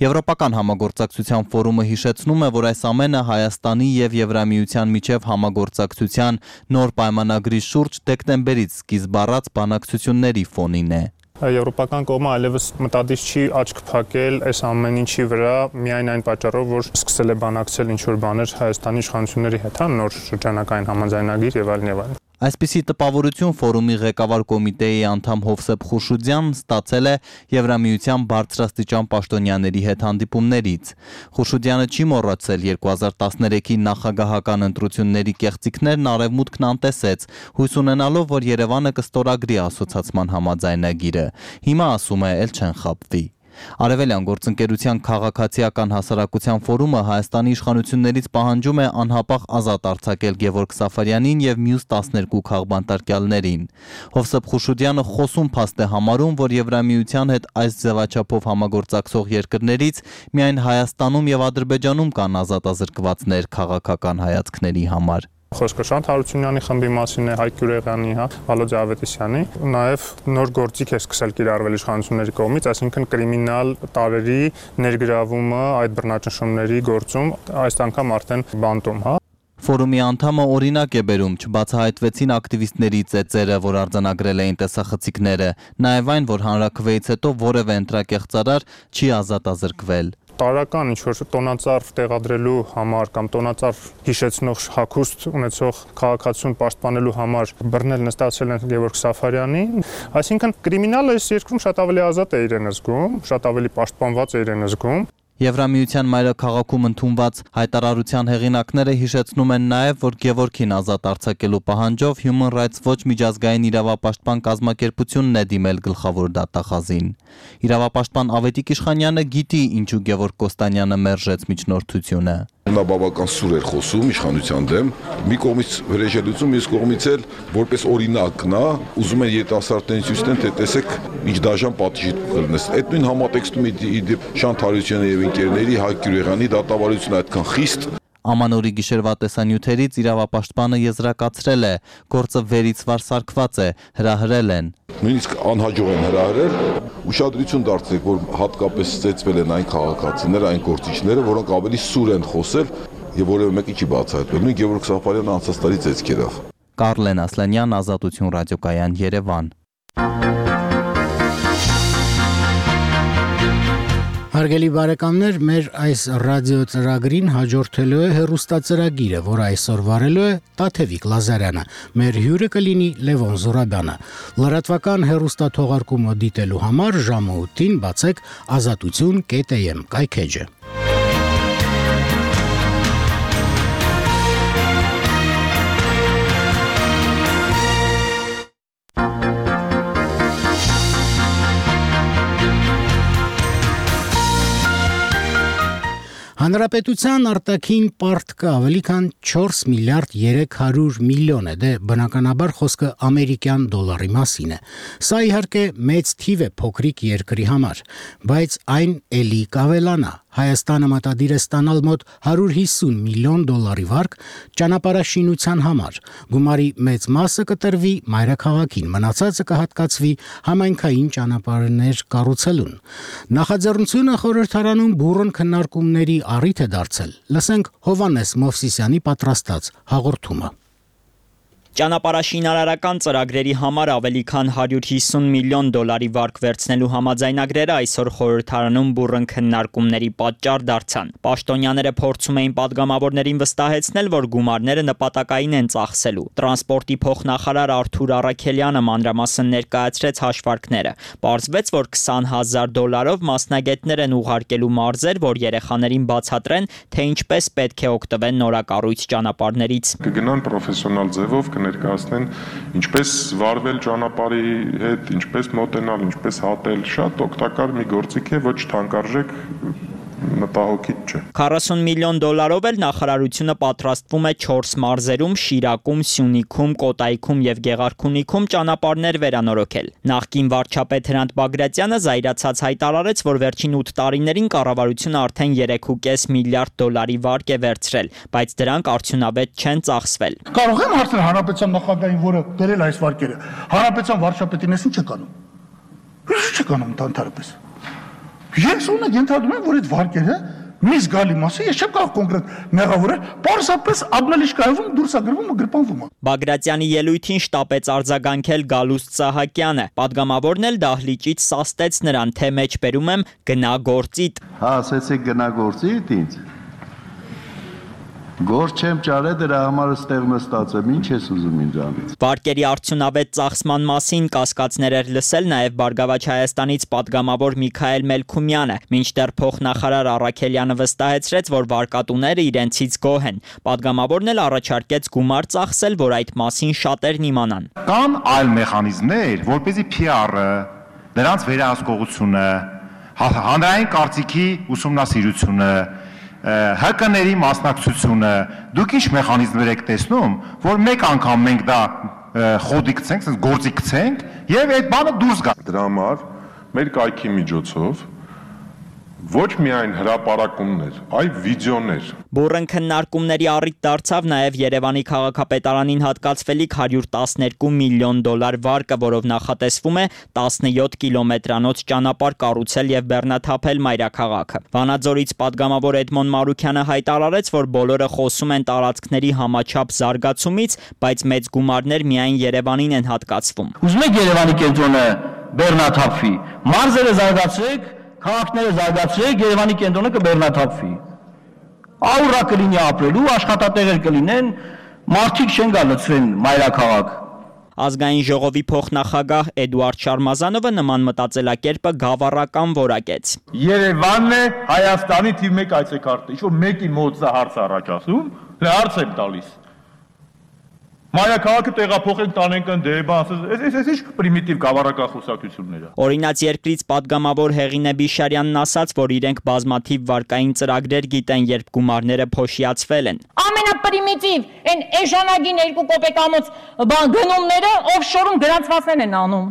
Եվրոպական համագործակցության ֆորումը հիշեցնում է, որ այս ամենը Հայաստանի և Եվրամիության միջև համագործակցության նոր պայմանագրի շուրջ դեկտեմբերից սկիզբ առած բանակցությունների ֆոնին է։ Եվրոպական կողմը այլևս մտադիր չի աչք փակել այս ամեն ինչի վրա միայն այն պատճառով, որ սկսել է բանակցել ինչ-որ բաներ Հայաստանի իշխանությունների հետ, նոր շրջանակային համաձայնագիր եւ այլն եւ այլն։ Այսպիսի տպավորություն ֆորումի ղեկավար կոմիտեի անդամ Հովսեփ Խուշուդյանն ստացել է Եվրամիության բարձրաստիճան պաշտոնյաների հետ հանդիպումներից։ Խուշուդյանը չի մոռացել երկու հազար տասներեքի նախագահական ընտրությունների կեղծիքներն Արևմուտքն անտեսեց, հույս ունենալով, որ Երևանը կստորագրի ասոցացման համաձայնագիրը։ Հիմա ասում է, էլ չեն խաբվի։ Արևելյան գործընկերության քաղաքացիական հասարակության ֆորումը Հայաստանի իշխանություններից պահանջում է անհապաղ ազատ արձակել Գևորգ Սաֆարյանին և մյուս տասներկու քաղբանտարկյալներին։ Հովսեփ Խուշուդյանը խոսում փաստ է համարում, որ Եվրամիության հետ այս ձևաչափով համագործակցող երկրներից միայն Հայաստանում և Ադրբեջանում կան ազատազրկվածներ քաղաքական հայացքների համար։ Խոսքը Շանթ Հարությունյանի խմբի մասին է, Հայկ Գյուրեղյանի, հա, Վալոդիա Ավետիսյանի, նաև նոր գործիք է սկսել կիրառվել իշխանությունների կողմից, այսինքն կրիմինալ տարրերի ներգրավումը այդ բռնաճնշումների գործում, այս անգամ արդեն բանտում, հա։ Ֆորումի անդամը օրինակ է բերում, չբացահայտվեցին ակտիվիստների ծեծերը, որ արձանագրել էին տեսախցիկները, նաև այն, որ հանրաքվեից հետո որևէ ընտրակեղծարար չի ազատազրկվել։ Տարական ինչ-որ տոնածառ տեղադրելու համար կամ տոնածառ հիշեցնող հագուստ ունեցող քաղաքացիություն պաշտպանելու համար բռնել նստացել են Գևորգ Սաֆարյանին, այսինքն կրիմինալը այս երկրում շատ ավելի ազատ է իրեն զգում, շատ ավելի պաշտպանված է իրեն զգում։ Եվրամիության մայրաքաղաքում ընդունված հայտարարության հեղինակները հիշեցնում են նաև, որ Գևորգին ազատ արձակելու պահանջով Human Rights Watch միջազգային իրավապաշտպան կազմակերպությունն է դիմել գլխավոր դատախազին։ Իրավապաշտպան Ավետիք Իշխանյանը գիտի, ինչու Գևորգ Կոստանյանը մերժեց միջնորդությունը։ Նա բավական սուր էր խոսում իշխանության դեմ, մի կողմից վրեժելություն, մյուս կողմից էլ որպես օրինակ նա ուզում են երիտասարդներին ցույց տեն, թե տեսեք ինչ դաժան պատիժի կլինես։ Այդ նույն համատեքստում իդեպ Շանթ Հարությունյանի եւ ընկերների Հայկ Գյուրեղյանի դատավարությունը այդքան խիստ Ամանորի գիշերվա տեսանյութերից իրավապաշտպանը եզրակացրել է, գործը վերից վար սարքված է, հրահրել են։ Նույնիսկ անհաջող են հրահրել, ուշադրություն դարձրեք, որ հատկապես ծեծվել են այն քաղաքացիները, այն գործիչները, որոնք ավելի սուր են խոսել եւ որևէ մեկի չի բացահայտվել։ Նույն Գևորգ Սաֆարյանը անցած տարի ծեծքերով։ Կարլեն Ասլանյան, Ազատություն ռադիոկայան, Երևան։ Հարգելի բարեկամներ, մեր այս ռադիո ծրագրին հաջորդելու է հեռուստածրագիրը, որը այսօր վարելու է Տաթևիկ Լազարյանը։ Մեր հյուրը կլինի Լևոն Զուրաբյանը։ Լրատվական հեռուստաթողարկումը դիտելու համար ժամը ութին բացեք ազատություն կետ էմ կայքեջը։ Հանրապետության արտաքին պարտքը ավելի քան չորս միլիարդ երեք հարյուր միլիոն է, դե բնականաբար խոսքը ամերիկյան դոլարի մասին է։ Սա իհարկե մեծ թիվ է փոքրիկ երկրի համար, բայց այն էլի կավելանա։ Հայաստանը մտադիր է ստանալ մոտ հարյուր հիսուն միլիոն դոլարի վարկ ճանապարհաշինության համար։ Գումարի մեծ մասը կտրվի մայրաքաղաքին, մնացածը կհատկացվի համայնքային ճանապարհներ կառուցելուն։ Նախաձեռնությունը խորհրդարանում բուռն քննարկումների առիթ է դարձել։ Լսենք Հովհաննես Մովսիսյանի պատրաստած հաղորդումը։ Ճանապարհաշինարարական ծրագրերի համար ավելի քան հարյուր հիսուն միլիոն դոլարի վարկ վերցնելու համաձայնագրերը այսօր խորհրդարանում բուռն քննարկումների պատճառ դարձան։ Պաշտոնյաները փորձում էին падգամավորներին վստահեցնել, որ գումարները նպատակային են ծախսելու։ Տրանսպորտի փոխնախարար Արթուր Առաքելյանը մանրամասն ներկայացրեց հաշվարկները։ Պարզվեց, որ քսան հազար դոլարով մասնագետներ են ուղարկելու մարզեր, որ երեխաներին բացատրեն, թե ինչպես պետք է օգտվեն նորակառույց ճանապարհներից։ Կգնան պրոֆեսիոնալ ձևով կներկայացնեն ինչպես վարվել ճանապարհի հետ, ինչպես մոտենալ, ինչպես հատել, շատ օգտակար մի գործիք է, ոչ թանկարժեք, մտահոգիչ չէ։ քառասուն միլիոն դոլարով էլ նախարարությունը պատրաստվում է չորս մարզերում՝ Շիրակում, Սյունիքում, Կոտայքում եւ Գեղարքունիքում ճանապարհներ վերանորոգել։ Նախկին վարչապետ Հրանտ Բագրատյանը զայրացած հայտարարեց, որ վերջին ութ տարիներին կառավարությունը արդեն երեք ու կես միլիարդ դոլարի վարկ է վերցրել, բայց դրանք արդյունավետ չեն ծախսվել։ Կարող եմ հարցնել հանրապետության նախագահին, որը դերել այս վարկերը։ Հանրապետության վարչապետին էս ինչ է կանում։ Ինչ է կանում ընդհանրապես։ Ես ունենք ենթադրում եմ, որ այդ վարկերը մի զգալի մասը, ես չեմ կարող կոնկրետ մեղավորել, պարզապես աբնալիշկայում դուրս է գրվում ու գրպանվում է։ Բագրատյանի ելույթին շտապեց արձագանքել Գալուստ Սահակյանը։ Պատգամավորն էլ դահլիճից սաստեց նրան, թե մեջ բերում եմ գնա գործիդ։ Հա, ասեցիք գնա գործիդ ինձ։ Գործ չեմ ճարել, դրա համար ստեղ նստած եմ, ինչ ես ուզում ինձանից։ Վարկերի արդյունավետ ծախսման մասին կասկածներ էր լսել նաև Բարգավաճ Հայաստանից պատգամավոր Միքայել Մելքումյանը, մինչդեռ փոխնախարար Առաքելյանը վստահեցրեց, որ վարկատուները իրենցից գոհ են։ Պատգամավորն էլ առաջարկեց գումար ծախսել, որ այդ մասին շատերն իմանան։ Կան այլ մեխանիզմներ, որպեսզի Փի Ար-ը, նրանց վերահսկողությունը, հանրային կարծիքի ուսումնասիրությունը, Հ Կ-ների մասնակցությունը, դուք ինչ մեխանիզմներ եք տեսնում, որ մեկ անգամ մենք դա խոդի գցենք, ասես գործի գցենք եւ այդ բանը դուրս գա։ Դրա համար մեր կայքի միջոցով ոչ միայն հրապարակումներ, այլ վիդեոներ։ Բուռն քննարկումների առիթ դարձավ նաև Երևանի քաղաքապետարանին հատկացվելիք հարյուր տասներկու միլիոն դոլար վարկը, որով նախատեսվում է տասնյոթ կիլոմետրանոց ճանապարհ կառուցել եւ բեռնաթափել մայրաքաղաքը։ Վանաձորից պատգամավոր Էդմոն Մարուքյանը հայտարարեց, որ բոլորը խոսում են տարածքների համաչափ զարգացումից, բայց մեծ գումարներ միայն Երևանին են հատկացվում։ Ուզում եք Երևանի կենտրոնը բեռնաթափվի, մարզերը զարգացրեք, քաղաքները զարգացրեք, Երևանի կենտրոնը կբեռնաթափվի։ Աուրա կլինի ապրելու, աշխատատեղեր կլինեն, մարդիկ չեն գա լցվեն մայրաքաղաք։ Ազգային ժողովի փոխնախագահ Էդուարդ Շարմազանովը նման մտածելակերպը գավառական որակեց։ Երևանն է Հայաստանի թիվ մեկ այցեքարտը, ինչ որ մեկի մոտ սա հարց առաջ ասում, հարց եմ տալիս։ Մայրաքաղաքը տեղափոխենք տանենք ընդդեմ, ասես, այս ինչ պրիմիտիվ գավառական խոսակցություններ է։ Օրինաց երկրից պատգամավոր Հեղինե Բիշարյանն ասաց, որ իրենք բազմաթիվ վարկային ծրագրեր գիտեն, երբ գումարները փոշիացվել են։ Ամենապրիմիտիվ այն էժանագին երկու կոպեկամոց բան գնումները օֆշորում գրանցվածներ են անում։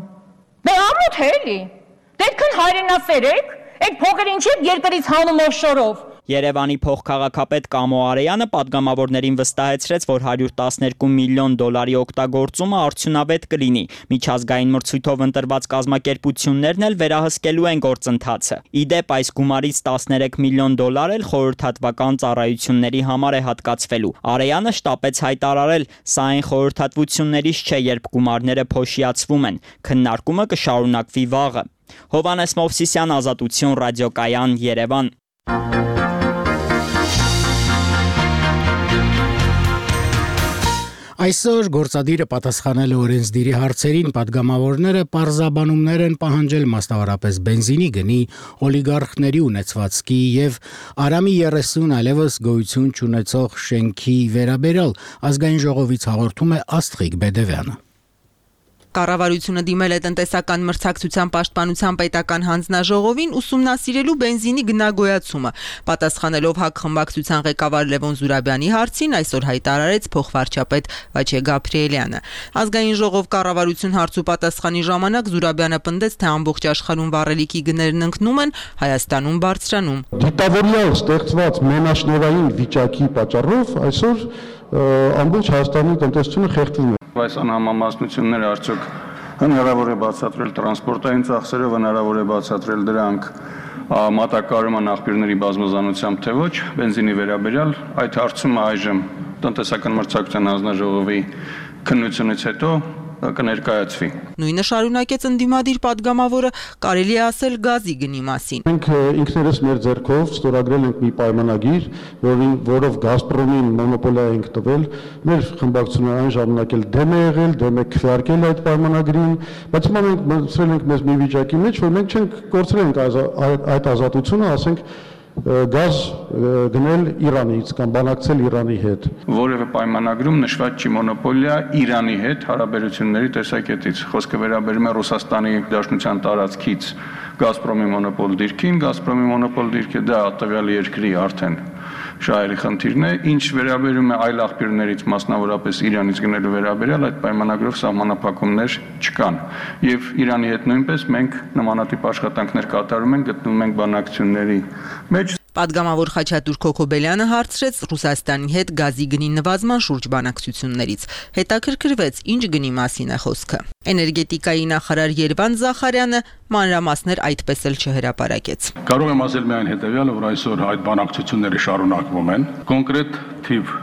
Դե ամոթ է էլի։ Դեպքն հայրենասեր եք, այդ փողերը ինչի եք երկրից հանում օֆշորով։ Երևանի փոխքաղաքապետ Կամո Արեյանը պատգամավորներին վստահեցրեց, որ հարյուր տասներկու միլիոն դոլարի օգտագործումը արդյունավետ կլինի։ Միջազգային մրցույթով ընտրված կազմակերպություններն էլ վերահսկելու են գործընթացը։ Իդեպ այս գումարից տասներեք միլիոն դոլար էլ խորհրդատվական ծառայությունների համար է հատկացվելու։ Արեյանը շտապեց հայտարարել, սա այն խորհրդատվություններից չէ, երբ գումարները փոշիացվում են։ Քննարկումը կշարունակվի վաղը։ Հովհաննես Մովսիսյան, Ազատություն, ռադիոկայան, Երևան։ Այսօր գործադիրը պատասխանել է օրենսդիրի հարցերին, պատգամավորները պարզաբանումներ են պահանջել մասնավորապես բենզինի գնի, օլիգարխների ունեցվածքի եւ Արամի երեսուն այլևս գոյություն չունեցող շենքի վերաբերյալ ազգային ժողովից հաղորդում է Աստղիկ Բեդևյանը։ Կառավարությունը դիմել է տնտեսական մրցակցության պաշտպանության պետական հանձնաժողովին ուսումնասիրելու բենզինի գնագոյացումը։ Պատասխանելով ՀԱԿ խմբակցության ղեկավար Լևոն Զուրաբյանի հարցին այսօր հայտարարեց փոխվարչապետ Վաչե Գաբրիելյանը։ Ազգային ժողով կառավարություն հարցու պատասխանի ժամանակ Զուրաբյանը պնդեց, թե ամբողջ աշխարհում վառելիքի գներն ընկնում են, Հայաստանում բարձրանում։ Դիտավորյալ ստեղծված մենաշնորհային վիճակի պատճառով այսօր ամբողջ Հայաստանի տնտեսությունը խեղդվում է։ Այս անհամամասնությունները արդյոք հնարավոր է բացատրել տրանսպորտային ծախսերով, հնարավոր է բացատրել դրանք մատակարարման աղբյուրների բազմազանությամբ, թե ոչ, բենզինի վերաբերյալ այդ հարցումը այժմ տնտեսական մրցակցության հանձնաժողովի քննությունից հետո կներկայացվի։ Նույնը շարունակեց ընդդիմադիր падգամավորը, կարելի է ասել գազի գնի մասին։ Մենք ինքներս մեր ձեռքով ստորագրել ենք մի պայմանագիր, որին որով Գազպրոմին մոնոպոլիա ենք տվել, մեր խմբակցությունը այն ժամանակ էլ դեմ է եղել, դեմ է քվեարկել այդ պայմանագրին, բայց հիմա մենք մտցրել ենք մեզ մի վիճակի մեջ, որ մենք չենք կորցրել ենք այդ ազատությունը, ասենք գազ գնել Իրանից կամ բանակցել Իրանի հետ։ Որևէ պայմանագրում նշված չի մոնոպոլիա Իրանի հետ հարաբերությունների տեսակետից։ Խոսքը վերաբերում է Ռուսաստանի Դաշնության տարածքից Գազպրոմի մոնոպոլ դիրքին, Գազպրոմի մոնոպոլ դիրքը դա տվյալ երկրի արդեն շահերի խնդիրն է, ինչ վերաբերում է այլ աղբյուրներից, մասնավորապես Իրանից գնելու վերաբերյալ, այդ պայմանագրով սահմանափակումներ չկան։ Եվ Իրանի հետ նույնպես մենք նմանատիպ աշխատանքներ կատարում ենք, գտնվում ենք բանակցությունների մեջ։ Պատգամավոր Խաչատուր Քոքոբելյանը հարցրեց Ռուսաստանի հետ գազի գնի նվազման շուրջ բանակցություններից։ Հետաքրքրվեց, ինչ գնի մասին է խոսքը։ Էներգետիկայի նախարար Երվան Զախարյանը մանրամասներ այդպես էլ չհրապարակեց։ Կարող եմ ասել միայն հետևյալը, որ այսօր այդ բանակցությունները շարունակվում են։ Կոնկրետ թիվ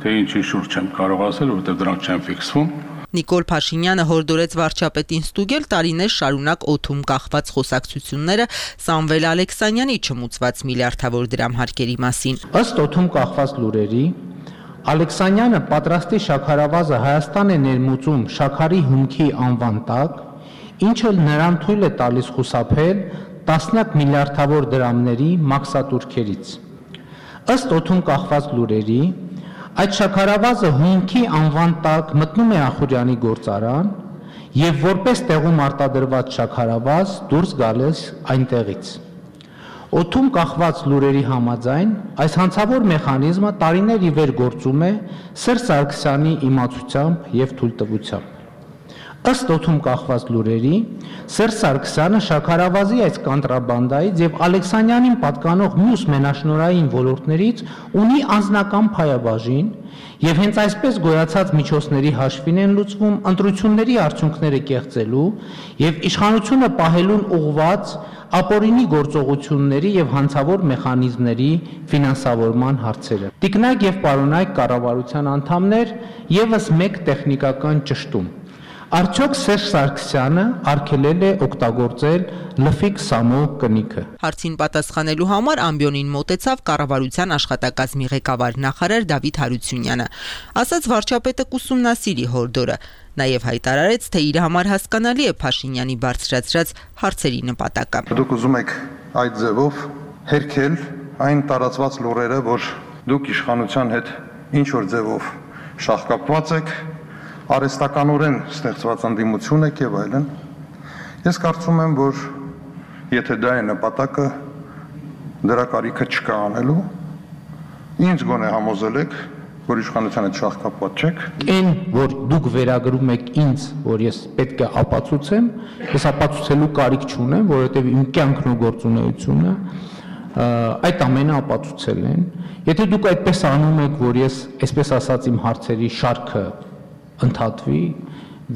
թե ինչի շուրջ չեմ կարող ասել, որովհետև դրանք չեն ֆիքսվում։ Նիկոլ Փաշինյանը հորդորեց վարչապետին ստուգել տարիներ շարունակ օդում կախված խոսակցությունները Սամվել Ալեքսանյանի չմուծված միլիարդավոր դրամ հարկերի մասին։ Ըստ օդում կախված լուրերի, Ալեքսանյանը պատրաստի շաքարավազը Հայաստան է ներմուծում շաքարի հումքի անվան տակ, ինչը նրան թույլ է տալիս խուսափել տասնյակ միլիարդավոր դրամների մաքսատուրքերից։ Ըստ օդում կախված լուրերի, այդ շաքարավազը հումքի անվան տակ մտնում է Ախուրյանի գործարան եւ որպես տեղում արտադրված շաքարավազ դուրս գալիս այնտեղից։ Օդում կախված լուրերի համաձայն այս հանցավոր մեխանիզմը տարիներ ի վեր գործում է Սերժ Սարգսյանի իմացությամբ եւ թույլտվությամբ։ Ըստ օդում կախված լուրերի, Սերժ Սարգսյանը շաքարավազի այս կանտրաբանդայից եւ Ալեքսանյանին պատկանող մյուս մենաշնորհային ոլորտներից ունի անձնական փայաբաժին եւ հենց այսպես գոյացած միջոցների հաշվին են լուծվում ընտրությունների արդյունքները կեղծելու եւ իշխանությունը պահելուն ուղղված ապօրինի գործողությունների եւ հանցավոր մեխանիզմների ֆինանսավորման հարցերը։ Տիկնայք եւ պարոնայք կառավարության անդամներ եւս մեկ տեխնիկական ճշտում։ Արդյոք Սերժ Սարգսյանը արգելել է օգտագործել լֆիկ Սամո կնիքը։ Հարցին պատասխանելու համար ամբիոնին մոտեցավ կառավարության աշխատակազմի ղեկավար նախարար Դավիթ Հարությունյանը։ Ասաց վարչապետը կուսումնասիրի հորդորը, նաև հայտարարեց, թե իր համար հասկանալի է Փաշինյանի բարձրացրած հարցերի նպատակը։ Դուք ուզում եք այդ ձևով հերքել այն տարածված լուրերը, որ դուք իշխանության հետ ինչ որ ձևով շահկապված եք, արհեստականորեն ստեղծված ընդդիմություն եք եւ այլն։ Ես կարծում եմ, որ եթե դա է նպատակը, դրա կարիքը չկա անելու։ Ինչ գոնե համոզել եք, որ իշխանության հետ շահկապված չեք։ Այն, որ դուք վերագրում եք ինձ, որ ես պետք է ապացուցեմ, ես ապացուցելու կարիք չունեմ, որովհետեւ իմ կյանքն ու գործունեությունը այդ ամենը ապացուցել են։ Եթե դուք այդպես անում եք, որ ես, այսպես ասած, իմ հարցերի շարքը ընդհատվի,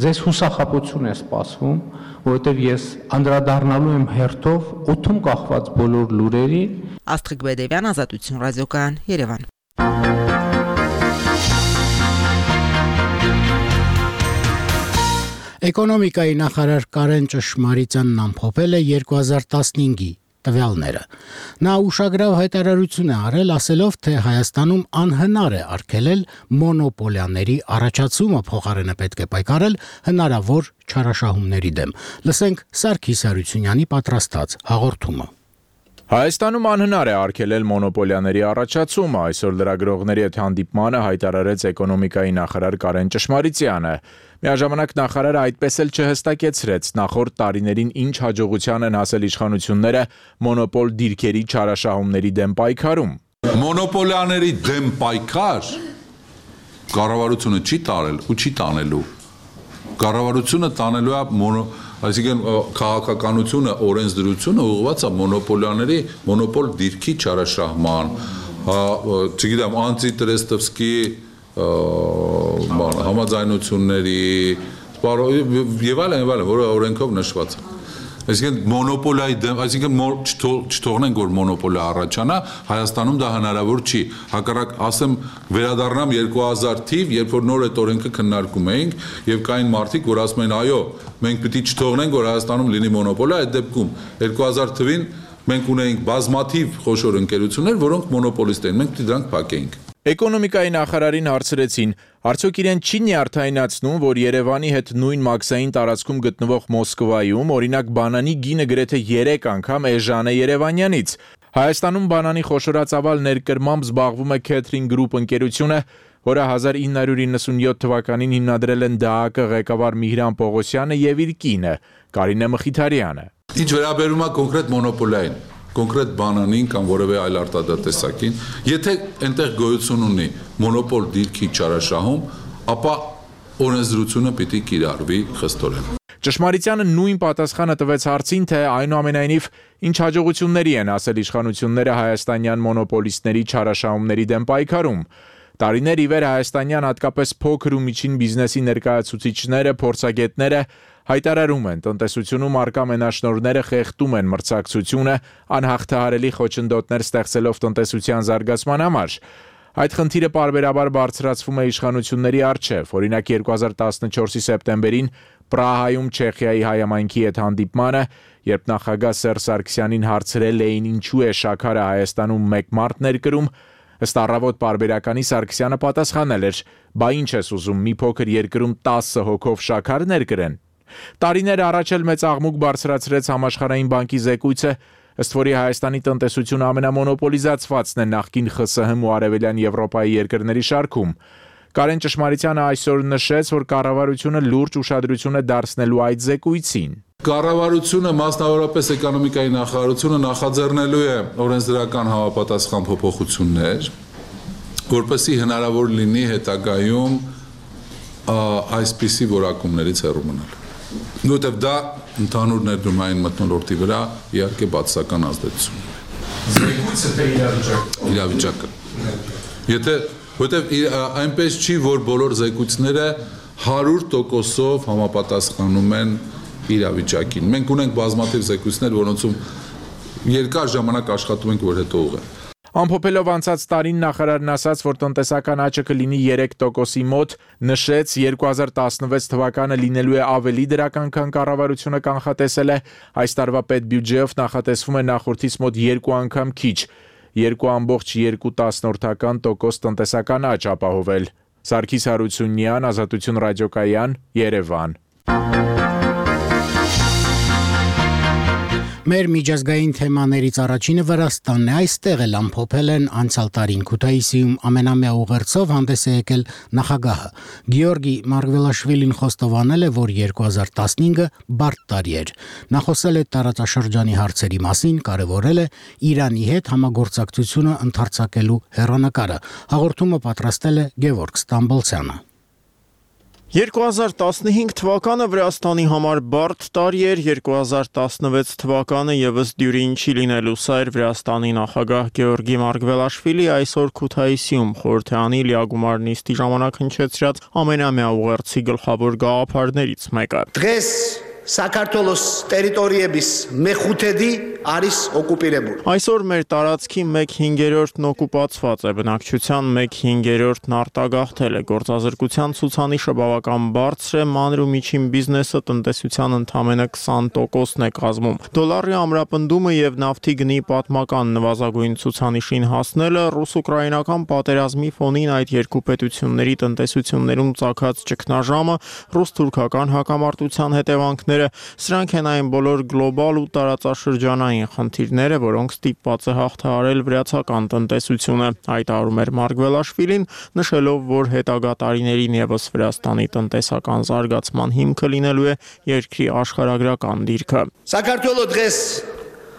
ձեզ հուսախաբություն է սպասվում, որովհետև ես անդրադառնալու եմ հերթով օդում կախված բոլոր լուրերին։ Աստղիկ Բեդևյան, Ազատություն ռադիոկայան, Երևան։ Էկոնոմիկայի նախարար Կարեն Ճշմարիցյանն ամփոփել է երկու հազար տասնհինգի տվյալները։ Նա ուշագրավ հայտարարություն է արել, ասելով, թե Հայաստանում անհնար է արգելել մոնոպոլիաների առաջացումը, փոխարենը պետք է պայքարել հնարավոր չարաշահումների դեմ։ Լսենք Սարգիս Հարությունյանի պատրաստած հաղորդումը։ Հայաստանում անհնար է արգելել մոնոպոլիաների առաջացումը, այսօր լրագրողների հետ հանդիպմանը հայտարարեց էկոնոմիկայի նախարար Կարեն Ճշմարիցյանը։ Միաժամանակ նախարարը այդպես էլ չհստակեցրեց նախորդ տարիներին ինչ հաջողության են հասել իշխանությունները մոնոպոլ դիրքերի չարաշահումների դեմ պայքարում։ Մոնոպոլիաների դեմ պայքար կառավարությունը չի տարել ու չի տանելու։ Կառավարությունը տանելու է մոնո Այսինքն քաղաքականությունը, օրենսդրությունը ուղղված է մոնոպոլիաների, մոնոպոլ դիրքի չարաշահման, չգիտեմ, անտիտրեստովսկի համաձայնությունների, եւ այլն, եւ այլն, որը օրենքով նշված է։ Այսինքն մոնոպոլիայի դեմ, այսինքն չթողնենք որ մոնոպոլիա առաջանա, Հայաստանում դա հնարավոր չի։ Հակառակ ասեմ վերադառնամ երկու հազար թիվ, երբ որ նոր այդ օրենքը քննարկում էինք եւ կային մարդիկ, որ ասում են այո, մենք պիտի չթողնենք որ Հայաստանում լինի մոնոպոլիա, այդ դեպքում երկու հազար թվին մենք ունեինք բազմաթիվ խոշոր ընկերություններ, որոնք մոնոպոլիստ էին, մենք պիտի դրանք փակեինք։ Էկոնոմիկայի նախարարին հարցրեցին, արդյոք իրեն չի նյարդայնացնում, որ Երևանի հետ նույն մաքսային տարածքում գտնվող Մոսկվայում, օրինակ բանանի գինը գրեթե երեք անգամ էժան է Երևանյանից։ Հայաստանում բանանի խոշորածավալ ներկրմամբ զբաղվում է Catering Group ընկերությունը, որը հազար ինը հարյուր իննսունյոթ թվականին հիմնադրել են ԴԱԱԿ ղեկավար Միհրան Պողոսյանը եւ իր կինը Կարինե Մխիթարյանը։ Ինչ վերաբերում է կոնկրետ մոնոպոլիային, կոնկրետ բանանին կամ որևէ այլ արտադատեսակին, եթե այնտեղ գոյություն ունի մոնոպոլ դիրքի չարաշահում, ապա օրենսդրությունը պիտի կիրառվի խստորեն։ Ճշմարությանը նույն պատասխանը տվեց հարցին, թե այնուամենայնիվ ինչ հաջողությունների են ասել իշխանությունները հայաստանյան մոնոպոլիստների չարաշահումների դեմ պայքարում։ Տարիներ ի վեր հայաստանյան հատկապես փոքր ու միջին բիզնեսի ներկայացուցիչները, փորձագետները հայտարարում են, տնտեսությունում արկա մենաշնորհները խեղդում են մրցակցությունը, անհաղթահարելի խոչընդոտներ ստեղծելով տնտեսության զարգացման համար։ Այդ խնդիրը պարբերաբար բարձրացվում է իշխանությունների առջև, օրինակ երկու հազար տասնչորսի սեպտեմբերին Պրահայում Չեխիայի հայամայնքի հետ հանդիպմանը, երբ նախագահ Սերժ Սարգսյանին հարցրել էին ինչու է շաքարը Հայաստանում մեկ մարդ ներկրում, ըստ առավոտ պարբերականի Սարգսյանը պատասխանել էր. «Բա ինչ ես ուզում, մի փոքր երկրում տասը հոգով շաքար ներկրեն»։ Տարիներ առաջ էլ մեծ աղմուկ բարձրացրեց Համաշխարհային բանկի զեկույցը, ըստ որի Հայաստանի տնտեսությունը ամենամոնոպոլիզացվածն է նախկին ԽՍՀՄ ու Արևելյան Եվրոպայի երկրների շարքում։ Կարեն Ճշմարությանը այսօր նշեց, որ կառավարությունը լուրջ ուշադրություն է դարձնելու այդ զեկույցին։ Կառավարությունը, մասնավորապես էկոնոմիկայի նախարարությունը նախաձեռնելու է օրենսդրական համապատասխան փոփոխություններ, որպեսզի հնարավոր լինի հետագայում այսպիսի որակումներից հեռու մնալ։ Որտեւ դա ընդհանուր ներդրումային մթնոլորտի վրա իհարկե բացասական ազդեցություն ունի։ Զեկույցը թե իրավիճակը։ Իրավիճակը։ Եթե որտեւ այնպես չի, որ բոլոր զեկույցները հարյուր տոկոսով համապատասխանում են իրավիճակին։ Մենք ունենք բազմաթիվ զեկույցներ, որոնցում երկար ժամանակ աշխատում ենք, որ հետո ուղղեն։ Ամփոփելով անցած տարին նախարարն ասաց, որ տնտեսական աճը կլինի երեք տոկոսի մոտ, նշեց երկու հազար տասնվեց թվականը լինելու է ավելի դրական, քան կառավարությունը կանխատեսել է, այս տարվա պետբյուջեով նախատեսվում է նախորդից մոտ երկու անգամ քիչ, երկու կόμma երկու տոկոս տնտեսական աճ ապահովել։ Սարգիս Հարությունյան, Ազատություն ռադիոկայան, Երևան։ Մեր միջազգային թեմաներից առաջինը Վրաստանն է, այստեղ էլ ամփոփել են անցյալ տարին Քութայիսիում ամենամյա ուղերձով հանդես է եկել նախագահը։ Գեորգի Մարգվելաշվիլին խոստովանել է, որ երկու հազար տասնհինգը բարդ տարի էր։ Նա խոսել է տարածաշրջանի հարցերի մասին, կարևորել է Իրանի հետ համագործակցությունը ընդարձակելու հեռանկարը։ Հաղորդումը պատրաստել է Գևորգ Ստամբոլցյանը։ երկու հազար տասնհինգ թվականը Վրաստանի համար բարդ տարի էր, երկու հազար տասնվեց թվականը եւս դյուրին չի լինելու, սա էր Վրաստանի նախագահ Գեորգի Մարգվելաշվիլի այսօր Քութայիսիում խորհրդանի լիագումար նիստի ժամանակ հնչեցրած ամենամյա ուղերձի գլխավոր գաղափարներից մեկը։ Დღეს საქართველოს տերիտորիების մեխութեդի არის օկուպիրებული։ Այսօր մեր տարածքի մեկ հինգերորդն օկուպացված է, բնակչության մեկ հինգերորդն արտագաղթել է, գործազրկության ցուցանիշը բավական բարձր է, մանր ու միջին բիզնեսը տնտեսության ընդամենը քսան տոկոսն է կազմում։ Դոլարի ամրապնդումը եւ նավթի գնի պատմական նվազագույն ցուցանիշին հասնելը ռուս-ուկրաինական պատերազմի ֆոնին այդ երկու պետությունների տնտեսություններում ծագած ճգնաժամը, ռուս-թուրքական հակամարտության հետևանքները Սրանք են այն բոլոր գլոբալ ու տարածաշրջանային խնդիրները, որոնք ստիպված է հաղթահարել վրացական տնտեսությունը, հայտարարում էր Մարգվելաշվիլին, նշելով, որ հետագա տարիներին եւս Վրաստանի տնտեսական զարգացման հիմքը լինելու է երկրի աշխարհագրական դիրքը։ Საქართველოს დღეს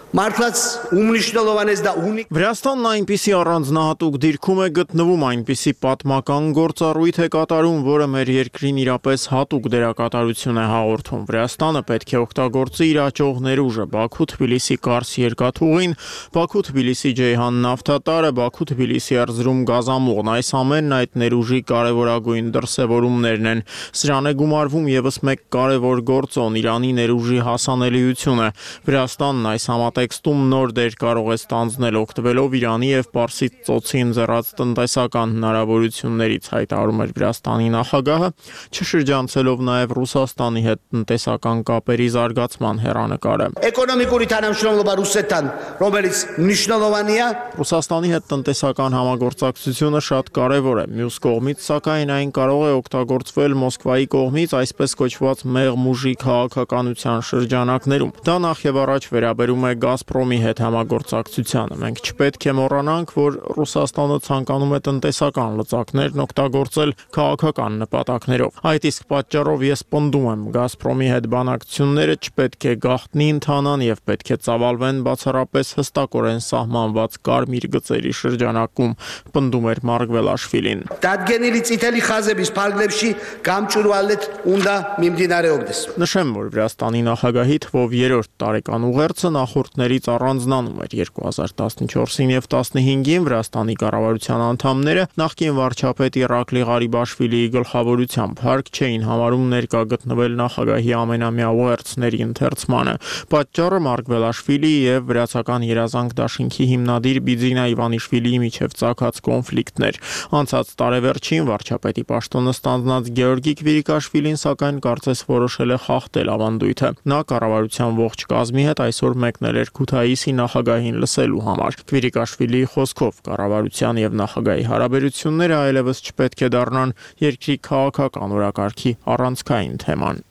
Մարտած ումնիշնոլովանես դա ունի Վրաստանն այնպիսի առանձնահատուկ դիրքում է գտնվում, այնպիսի պատմական գործառույթ է կատարում, որը մեր երկրին իրապես հատուկ դերակատարություն է հաղորդում։ Վրաստանը պետք է օգտագործի իր աճող ներուժը, Բաքու-Թբիլիսի Կարս երկաթուղին, Բաքու-Թբիլիսի Ջեյհան նավթատարը, Բաքու-Թբիլիսի Էրզրում գազամուղն, այս ամենն այդ ներուժի կարևորագույն դրսևորումներն են։ Սրան է գումարվում եւս մեկ կարևոր գործոն՝ Իրանի ներուժի հասանելիությունը։ Վրաստանն այս համատեքստում նոր դեր կարող է ստանձնել օգտվելով Իրանի եւ Պարսից ծոցի ընձեռած տնտեսական հնարավորություններից, հայտարարում էր Վրաստանի նախագահը, չշրջանցելով նաեւ Ռուսաստանի հետ տնտեսական կապերի զարգացման հեռանկարը։ Էկոնոմիկური თანამშრომლობა ռուսეთთან, რომელიც მნიშვნელოვանია, Ռուսաստանի հետ տնտեսական համագործակցությունը շատ կարևոր է։ Մյուս կողմից, սակայն, այն կարող է օգտագործվել Մոսկվայի կողմից այսպես կոչված մեղմ ուժի քաղաքականության շրջանակներում։ Դա նախ եւ առաջ վերաբերում է Գազպրոմի հետ համագործակցությանը։ Մենք չպետք է մոռանանք, որ Ռուսաստանը ցանկանում է տնտեսական լծակներն օգտագործել քաղաքական նպատակներով։ Այդ իսկ պատճառով ես պնդում եմ, Գազպրոմի հետ բանակցությունները չպետք է գաղտնի ընթանան եւ պետք է ծավալվեն բացառապես հստակորեն սահմանված կարմիր գծերի շրջանակում, պնդում էր Մարգվելաշվիլին։ Դատգենիլի ցիտելի խազեբիս փարգլեփշի կամճուրուալետ ունդա միմդինարեոգդես։ Նշեմ, որ Վրաստանի նախագահի թվով երրորդ տարեկան ուղերձը նախորդներից առանձնանում էր երկու հազար տասնչորսին եւ տասնհինգին Վրաստանի կառավարության անդամները նախկին վարչապետ Իռակլի Ղարիբաշվիլիի գլխավորությամբ հարկ չէին համարում ներկա գտնվել նախագահի ամենամյա ուղերձների ընթերցմանը։ Պատճառը Մարգվելաշվիլի եւ Վրացական երազանք դաշինքի հիմնադիր Բիձինա Իվանիշվիլիի միջև ծագած կոնֆլիկտն էր։ Անցած տարեվերջին վարչապետի պաշտոնը ստանձնած Գեորգի Քվիրիկաշվիլին սակայն կարծես որոշել է խախտել ավանդույթը։ Նա կառավարության ողջ կազմի հետ այսօր մեկնել էր Քութայիսի նախագահին լսելու համար։ Քվիրիկաշվիլիի խոսքով կառավարության եւ նախագահի հարաբերությունները այլևս չպետք է դառնան երկրի քաղաքական օրակարգի առանցքային թեման։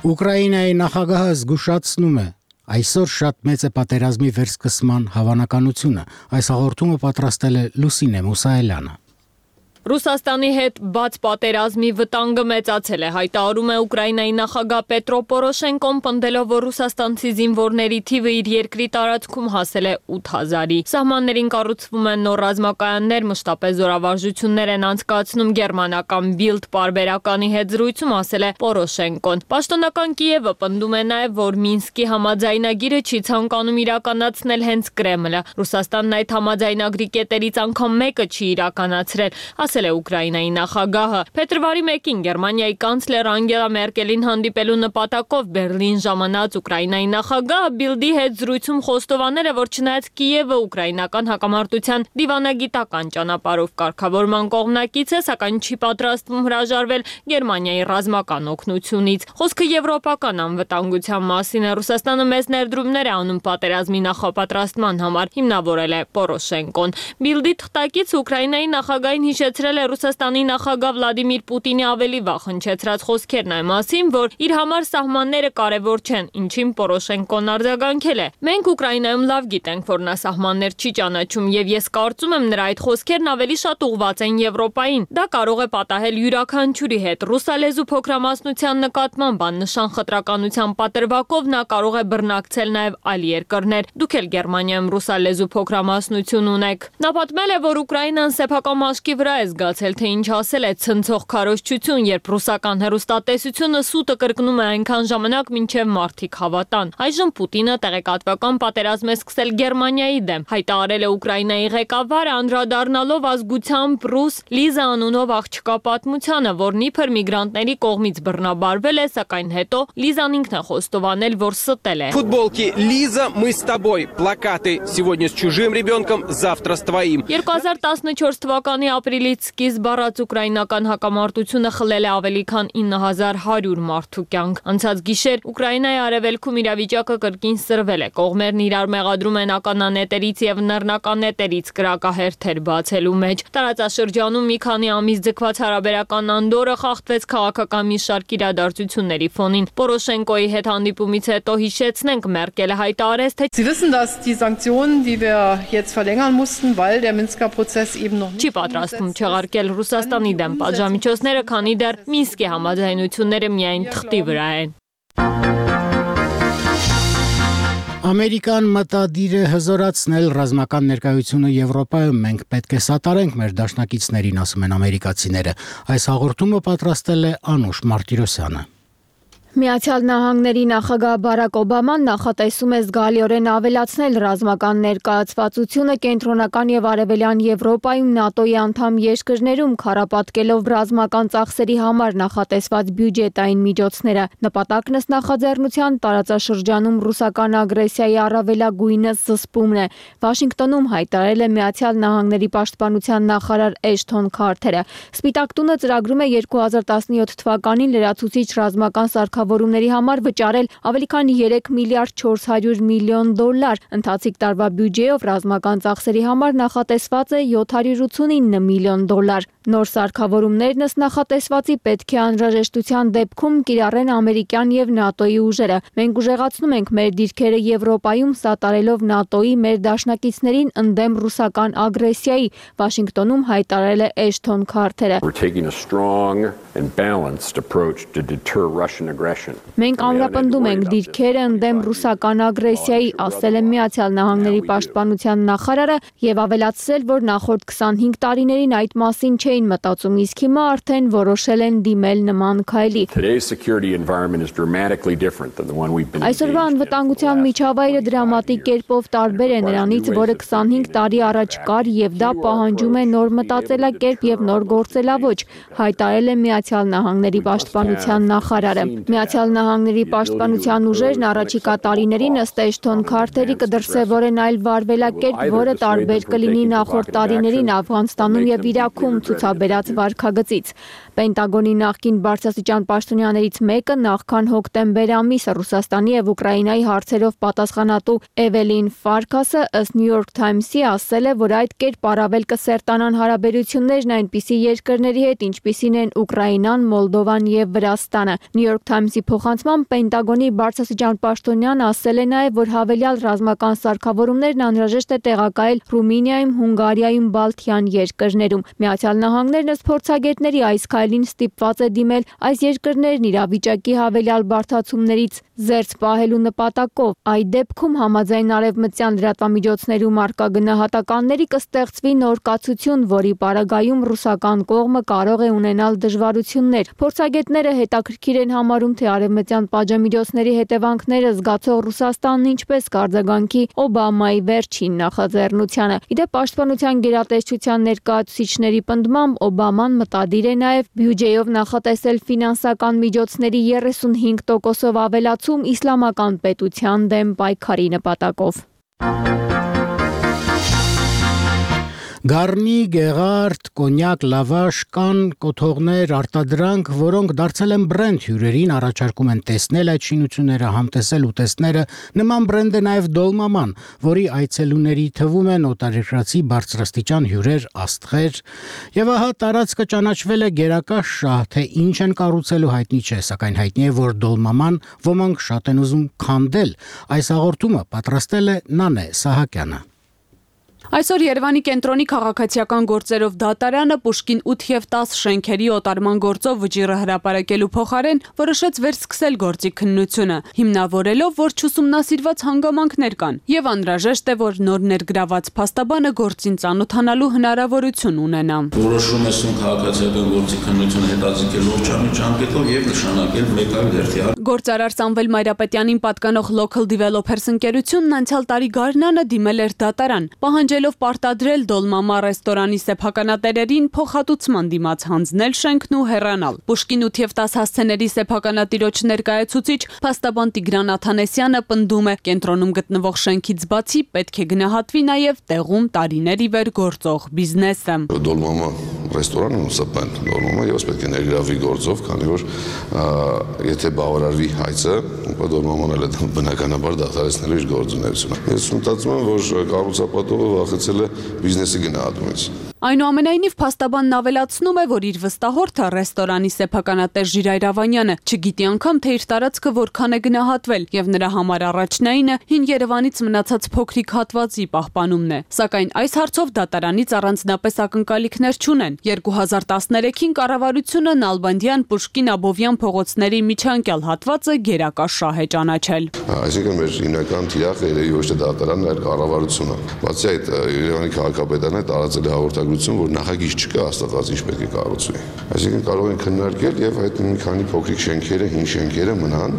Ուկրաինայի նախագահը զգուշացնում է. Այսօր շատ մեծ է պատերազմի վերսկսման հավանականությունը։ Այս հաղորդումը պատրաստել է Լուսինե Մուսայելյանը։ Ռուսաստանի հետ բաց պատերազմի վտանգը մեծացել է, հայտարարում է Ուկրաինայի նախագահ Պետրո Պորոշենկոն, պնդելով, որ ռուսաստանցի զինվորների թիվը իր երկրի տարածքում հասել է ութ հազարի։ Սահմաններին կառուցվում են նոր ռազմակայաններ, մշտապես զորավարժություններ են անցկացնում գերմանական Bild պարբերականի հետ զրույցում ասել է Պորոշենկոն։ Պաշտոնական Կիևը պնդում է նաև, որ Մինսկի համաձայնագիրը չի ցանկանում իրականացնել հենց Կրեմլը։ Ռուսաստանն այդ համաձայնագրի կետերից անգամ մեկը չի իրականացրել, ասել է Ուկրաինայի նախագահը։ Փետրվարի մեկին Գերմանիայի կանցլեր Անգելա Մերկելին հանդիպելու նպատակով Բերլին ժամանած Ուկրաինայի նախագահը Բիլդի հետ զրույցում խոստովանել է, որ չնայած Կիևը ուկրաինական հակամարտության դիվանագիտական ճանապարհով կարգավորման կողմնակից է, սակայն չի պատրաստվում հրաժարվել Գերմանիայի ռազմական օգնությունից։ Խոսքը եվրոպական անվտանգության մասին է։ Ռուսաստանը մեծ ներդրումներ է անում պատերազմի նախապատրաստման համար, հիմնավորել է Պորոշենկոն։ Բիլդի թղթակից Ուկրաինայի նախագահին հիշեցրել է Ռուսաստանի նախագահ Վլադիմիր Պուտինի ավելի վաղ հնչեցրած խոսքերն այն մասին, որ իր համար սահմանները կարևոր չեն, ինչին Պորոշենկոն արձագանքել է։ Մենք Ուկրաինայում լավ գիտենք, որ նա սահմաններ չի ճանաչում, եւ ես կարծում եմ նրա այդ խոսքերն ավելի շատ ուղղված են Եվրոպային։ Դա կարող է պատահել յուրաքանչյուրի հետ։ Ռուսալեզու փոքրամասնության նկատմամբ աննշան խտրականության պատրվակով նա կարող է բռնակցել նաև այլ երկրներ։ Դուք էլ Գերմանիայում ռուսալեզու փոքրամասնություն ունեք։ Նա պատմել է, որ Ուկրաինան սեփական մաշկի վրա է զգացել, թե ինչ ասել է ցնցող քարոզչություն, երբ ռուսական հեռուստատեսությունը սուտը կրկնում է այնքան ժամանակ, մինչև մարդիկ հավատան։ Այժմ Պուտինը տեղեկատվական պատերազմ է սկսել Գերմանիայի դեմ, հայտարարել է Ուկրաինայի ղեկավարը, անդրադառնալով ազգությամբ ռուս Լիզա անունով աղջկա պատմությանը, որն իբր միգրանտների կողմից բռնաբարվել է, սակայն հետո Լիզան ինքն է խոստովանել, որ ստել է։ Футболки Лиза, мы с тобой. Плакаты сегодня с чужим ребенком, завтра с твоим. երկու հազար տասնչորս թվականի ապրիլից սկիզբ առած ուկրաինական հակամարտությունը խլել է ավելի քան ինը հազար հարյուր մարդու կյանք։ Անցած գիշեր Ուկրաինայի արևելքում իրավիճակը կրկին սրվել է։ Կողմերն իրար մեղադրում են ականանետերից եւ նռնականետերից կրակահերթեր բացելու մեջ։ Տարածաշրջանում մի քանի ամիս ձգված հարաբերական անդորը խախտվեց քաղաքական մի շարք իրադարձությունների ֆոնին։ Պորոշենկոյի հետ հանդիպումից հետո հիշեցնենք, Մերկելը հայտարարեց, թե Sie wissen, dass die Sanktionen, die wir jetzt verlängern mussten, weil der Minsker Prozess eben noch Չի պատրաստվում չեղարկել Ռուսաստանի դեմ պատժամիջոցները, քանի դեռ Մինսկի համաձայնությունները միայն թղթի վրա են։ Ամերիկան մտադիր է հզորացնել ռազմական ներկայությունը Եվրոպայում։ Մենք պետք է սատարենք մեր դաշնակիցներին, ասում են ամերիկացիները։ Այս հաղորդումը պատրաստել է Անուշ Մարտիրոսյանը։ Միացյալ Նահանգների նախագահ Բարակ Օբաման նախատեսում է զգալիորեն ավելացնել ռազմական ներկայացվածությունը կենտրոնական եւ արևելյան Եվրոպայում ՆԱՏՕ-ի անդամ երկրներում, քարապատկելով ռազմական ծախսերի համար նախատեսված բյուջետային միջոցները։ Նպատակն ըստ նախաձեռնության տարածաշրջանում ռուսական ագրեսիայի առավելագույնս զսպումն է։ Վաշինգտոնում հայտարարել է Միացյալ Նահանգների պաշտպանության նախարար Էշթոն Քարթերը։ Սպիտակ տունը ծրագրում է երկու հազար տասնյոթ թվականին լրացուցիչ ռազմական սարքավորումների համար վճարել ավելի քան երեք միլիարդ չորս հարյուր միլիոն դոլար։ Ընթացիկ տարվա բյուջեով ռազմական ծախսերի համար նախատեսված է յոթ հարյուր ութսունինը միլիոն դոլար։ Նոր սարքավորումներն ըստ նախատեսվածի պետք է անհրաժեշտության դեպքում կիրառեն ամերիկյան եւ ՆԱՏՕ-ի ուժերը։ Մենք ուժեղացնում ենք մեր դիրքերը Եվրոպայում, սատարելով ՆԱՏՕ-ի մեր դաշնակիցներին ընդդեմ ռուսական ագրեսիայի, Վաշինգտոնում հայտարարել է Էշթոն Քարթերը։ Մենք ամրապնդում ենք դիրքերը ընդդեմ ռուսական ագրեսիայի, ասել է Միացյալ Նահանգների պաշտպանության նախարարը եւ ավելացրել, որ նախորդ քսանհինգ տարիներին այդ մասին չէին մտածում, իսկ հիմա արդեն որոշել են դիմել նման քայլի։ Այսօրվա անվտանգության միջավայրը դրամատիկ կերպով տարբեր է նրանից, որը քսանհինգ տարի առաջ կար, եւ դա պահանջում է նոր մտածելակերպ եւ նոր գործելավոճ, հայտարարել է Միացյալ Նահանգների պաշտպանության նախարարը։ Միացյալ Նահանգների պաշտպանության ուժերն առաջիկա տարիներին ըստ Էշթոն Քարթերի կդրսևորեն այլ վարվելակերպ, որը տարբեր կլինի նախորդ տարիներին Աֆղանստանում եւ Իրաքում ցուցաբերած վարքագծից։ Պենտագոնի նախկին բարձրաստիճան պաշտոնյաներից մեկը նախքան հոկտեմբեր ամիսը Ռուսաստանի եւ Ուկրաինայի հարցերով պատասխանատու Էվելին Ֆարքասը ըստ New York Times-ի ասել է, որ այդ կերպ առավել կսերտանան հարաբերություններն այնպիսի երկրների հետ, ինչպիսին են Ուկրաինան, Մոլդովան եւ Վրաստանը։ New York Times-ի փոխանցմամբ Պենտագոնի բարձրաստիճան պաշտոնյան ասել է նաեւ, որ հավելյալ ռազմական սարքավորումներն անհրաժեշտ է տեղակայել Ռումինիայում, Հունգարիայում, Բալթյան երկրներում։ Միացյալ Նահանգներն ըստ փորձագետների այս քայլին ստիպված է դիմել այս երկրներն իրավիճակի հավելյալ բարդացումներից զերծ պահելու նպատակով։ Այդ դեպքում համաձայն արևմտյան լրատվամիջոցներում արկա գնահատականների կստեղծվի նոր կացություն, որի պարագայում ռուսական կողմը կարող է ունենալ դժվարություններ։ Փորձագետները հետաքրքիր են համարում, թե արևմտյան պատժամիջոցների հետևանքները զգացող Ռուսաստանն ինչպես կարձագանքի Օբամայի վերջին նախաձեռնությանը։ Իդեպ պաշտպանության գերատեսչության ներկայացուցիչների պնդմամբ Օբաման մտադիր է նաև բյուջեով նախատեսել ֆինանսական միջոցների երեսունհինգ տոկոսով ավելացում իսլամական պետության դեմ պայքարի նպատակով։ Գառնի, գեղարդ, կոնյակ, լավաշ, կան, կոթողներ, արտադրանք, որոնք դարձել են բրենդ հյուրերին, առաջարկում են տեսնել այդ շինությունները, համտեսել ուտեստները։ Նման բրենդ է նաև Դոլմաման, որի այցելուների թվում են օտարերկրացի բարձրաստիճան հյուրեր, աստղեր։ Եվ ահա տարածքը ճանաչվել է գերակա շահ, թե ինչ են կառուցելու հայտնի չէ, սակայն հայտնի է, որ Դոլմաման ոմանք շատ են ուզում քանդել։ Այս հաղորդումը պատրաստել է Նանե Սահակյանը։ Այսօր Երևանի կենտրոնի քաղաքացիական գործերով դատարանը Պուշկին ութ եւ տաս շենքերի օտարման գործով վճիռը հրապարակելու փոխարեն որոշեց վերսկսել գործի քննությունը, հիմնավորելով, որ չուսումնասիրված հանգամանքներ կան եւ անհրաժեշտ է, որ նոր ներգրաված փաստաբանը գործին ծանոթանալու հնարավորություն ունենա։ Որոշում է սուն քաղաքացիական գործի քննությունը հետաձգել ողջամիտ ժամկետով եւ նշանակել մեկ այլ հերթի։ Գործարար Սամվել Մայրապետյանին պատկանող Local Developers ընկերությունն անցյալ տարի գարնանը դիմել էր դատարան, պահանջելով պարտադրել Դոլմամա ռեստորանի սեփականատերերին փոխհատուցման դիմաց հանձնել շենքն ու հեռանալ։ Պուշկին ութ եւ տաս հասցեների սեփականատիրոջ ներկայացուցիչ փաստաբան Տիգրան Աթանեսյանը պնդում է, կենտրոնում գտնվող շենքից բացի պետք է գնահատվի նաեւ տեղում տարիներ ի վեր գործող բիզնեսը։ Դոլմամա ռեստորանը ուսապան Դոլմամա եւս պետք է ներգրավվի գործով, քանի որ եթե բավարարվի հայցը, ապա Դոլմաման էլ է բնականաբար դադարեցնելու իր գործունեությունը։ Ես մտածում եմ, որ կառուցապատողը վախեցել է բիզնեսի գնահատումից։ Այնուամենայնիվ փաստաբանն ավելացնում է, որ իր վստահորդը ռեստորանի սեփականատեր Ժիրայր Ավանյանը չգիտի անգամ, թե իր տարածքը որքան է գնահատվել, եւ նրա համար առաջնայինը հին Երևանից մնացած փոքրիկ հատվածի պահպանումն է։ Սակայն այս հարցով դատարանից առանձնապես ակնկալիքներ չունեն։ երկու հազար տասներեքին կառավարությունը Նալբանդյան, Պուշկին, Աբովյան փողոցների միջանկյալ հատվածը գերակաշահ է ճանաչել։ Այսինքն մեր հիմնական թիրախը երևի ոչ թե դատարանն, այլ կառավարությունը։ Բացի այդ, Երևանի քաղաքապետարանը տարածել է հաղորդագրություն, որ նախագիծ չկա հաստատված ինչ պետք է կառուցվի։ Այսինքն կարող են քննարկել եւ այդ մի քանի փոքրիկ շենքերը, հին շենքերը մնան,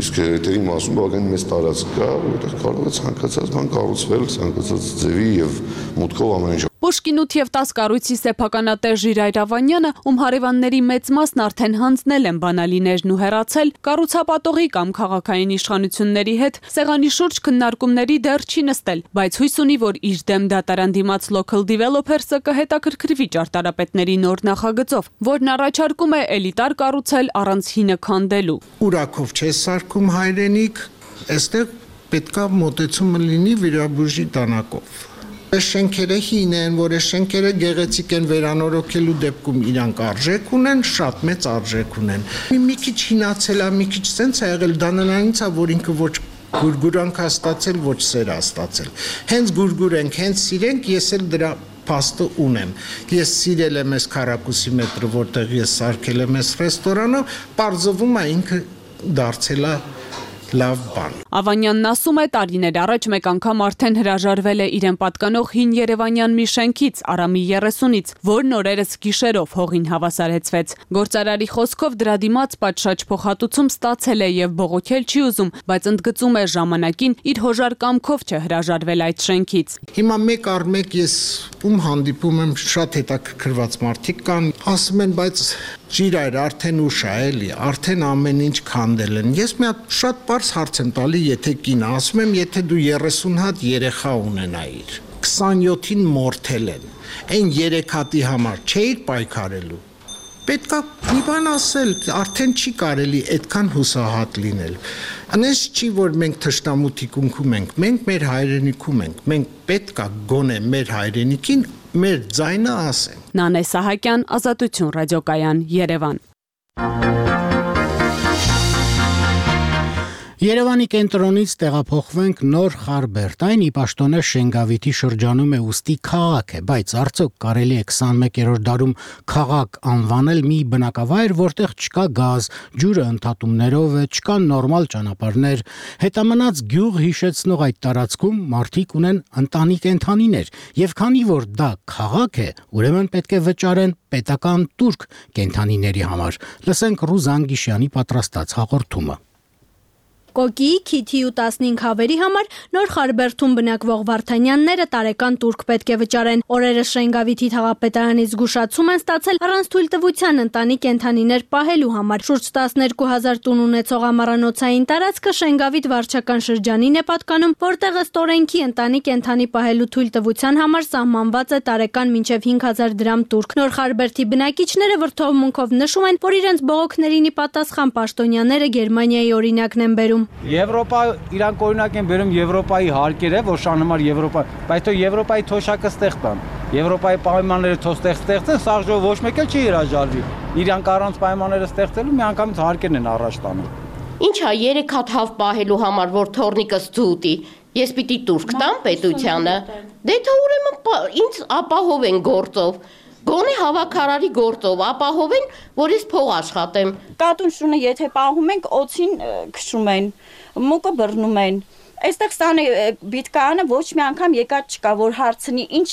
իսկ հետևի մասում բավական մեծ տարածք կա, որտեղ կարող է ցանկացած բան կառուցվել, ցանկացած ձևի եւ մուտքով ամեն ինչ։ Պուշկին ութ եւ տաս կառույցի սեփականատեր Ժիրայր Ավանյանը, ում հարևանների մեծ մասն արդեն հանձնել են բանալիներն ու հեռացել, կառուցապատողի կամ քաղաքային իշխանությունների հետ սեղանի շուրջ քննարկումների դեռ չի նստել, բայց հույս ունի, որ իր դեմ դատարան դիմաց Local Developers-ը կհետաքրքրվի ճարտարապետների նոր նախագծով, որն առաջարկում է էլիտար կառուցել առանց հինը քանդելու։ Ուրախով չես սարքում հայրենիք, այստեղ պետքա մոտեցումը լինի վիրաբույժի դանակով։ Այս շենքերը հին են, որ այս շենքերը գեղեցիկ են, վերանորոգելու դեպքում իրանք արժեք ունեն, շատ մեծ արժեք ունեն։ Մի քիչ հինացել է, մի քիչ սենց է եղել, դա նրանից է, որ ինքը ոչ գուրգուրանք է ստացել, ոչ սեր է ստացել։ Հենց գուրգուր ենք, հենց սիրենք, ես էլ դրա փաստը ունեմ։ Ես սիրել եմ այս քառակուսի մետրը, որտեղ ես սարքել եմ այս ռեստորանը, պարզվում է ինքը դարձել է լավ բան։ Ավանյանն ասում է, տարիներ առաջ մեկ անգամ արդեն հրաժարվել է իրեն պատկանող հին երևանյան մի շենքից, Արամի երեսունից, որն օրերս գիշերով հողին հավասարեցվեց։ Գործարարի խոսքով դրա դիմաց պատշաճ փոխհատուցում ստացել է եւ բողոքել չի ուզում, բայց ընդգծում է ժամանակին իր հոժար կամքով չհրաժարվել այդ շենքից։ Հիմա մեկ առ մեկ ես ում հանդիպում եմ, շատ հետաքրքրված մարդիկ կան, ասում են, բայց Ժիրայր, արդեն ուշ է, էլի, արդեն ամեն ինչ քանդել են։ Ես մի հատ շատ պարզ հարց եմ տալի, եթե կինը, ասում եմ, եթե դու երեսուն հատ երեխա ունենայիր, քսանյոթին մորթել են, այն երեք հատի համար չէիր պայքարելու։ Պետքա մի բան ասել, արդեն չի կարելի այդքան հուսահատ լինել։ Անես չի, որ մենք թշնամութի կունքում ենք, մենք մեր հայրենիքում ենք, մենք պետքա գոնե մեր հայրենիքին մեր ձայնը ասենք։ Նանե Սահակյան, Ազատություն ռադիոկայան, Երևան։ Երևանի կենտրոնից տեղափոխվենք Նոր Խարբերդ, այն ի պաշտոնե Շենգավիթի շրջանում է, ուստի քաղաք է, բայց արդյոք կարելի է քսանմեկերորդ դարում քաղաք անվանել մի բնակավայր, որտեղ չկա գազ, ջուրը ընդհատումներով է, չկան նորմալ ճանապարհներ, հետամնաց գյուղ հիշեցնող այդ տարածքում մարդիկ ունեն ընտանի կենդանիներ, եւ քանի որ դա քաղաք է, ուրեմն պետք է վճարեն պետական տուրք կենդանիների համար։ Լսենք Ռուզան Գիշյանի պատրաստած հաղորդումը։ Կոկի, քիթի ու տասնհինգ հավերի համար Նոր Խարբերդում բնակվող վարդանյանները տարեկան տուրք պետք է վճարեն։ Օրերս Շենգավիթի թաղապետարանից զգուշացում են ստացել առանց թույլտվության ընտանի կենդանիներ պահելու համար։ Շուրջ տասներկու հազար տուն ունեցող ամառանոցային տարածքը Շենգավիթ վարչական շրջանին է պատկանում, որտեղ ըստ օրենքի ընտանի կենդանի պահելու թույլտվության համար սահմանված է տարեկան մինչև հինգ հազար դրամ տուրք։ Նոր Խարբերդի բնակիչները վրդովմունքով նշում են, որ իրենց բողոքներին ի պատասխան պաշտոնյաները Գերմանիայի օրինակն են բերում։ Եվրոպա իրանք օրինակ են բերում Եվրոպայի հարկերը, որ շանհմար Եվրոպա, բայց թող Եվրոպայի թոշակը ստեղ տան։ Եվրոպայի պայմանները թող ստեղ ստեղծեն, սաղ ժողով ոչ մեկ էլ չի հրաժարվի։ Իրանք առանց պայմանները ստեղծելու միանգամից հարկերն են առաջ տանում։ Ինչա երեք հատ հավ պահելու համար, որ թորնիկս ցուտի, ես պիտի տուրք տամ պետությանը։ Դե թող ուրեմն ինձ ապահովեն գործով։ Գոնե հավաքարարի գործով ապահովեն, որ ես փող աշխատեմ։ Կատուն շունը եթե պահում ենք, օծին քշում են, մուկը բռնում են։ Այստեղ սանը բիտկայանը ոչ մի անգամ եկած չկա, որ հարցնի ինչ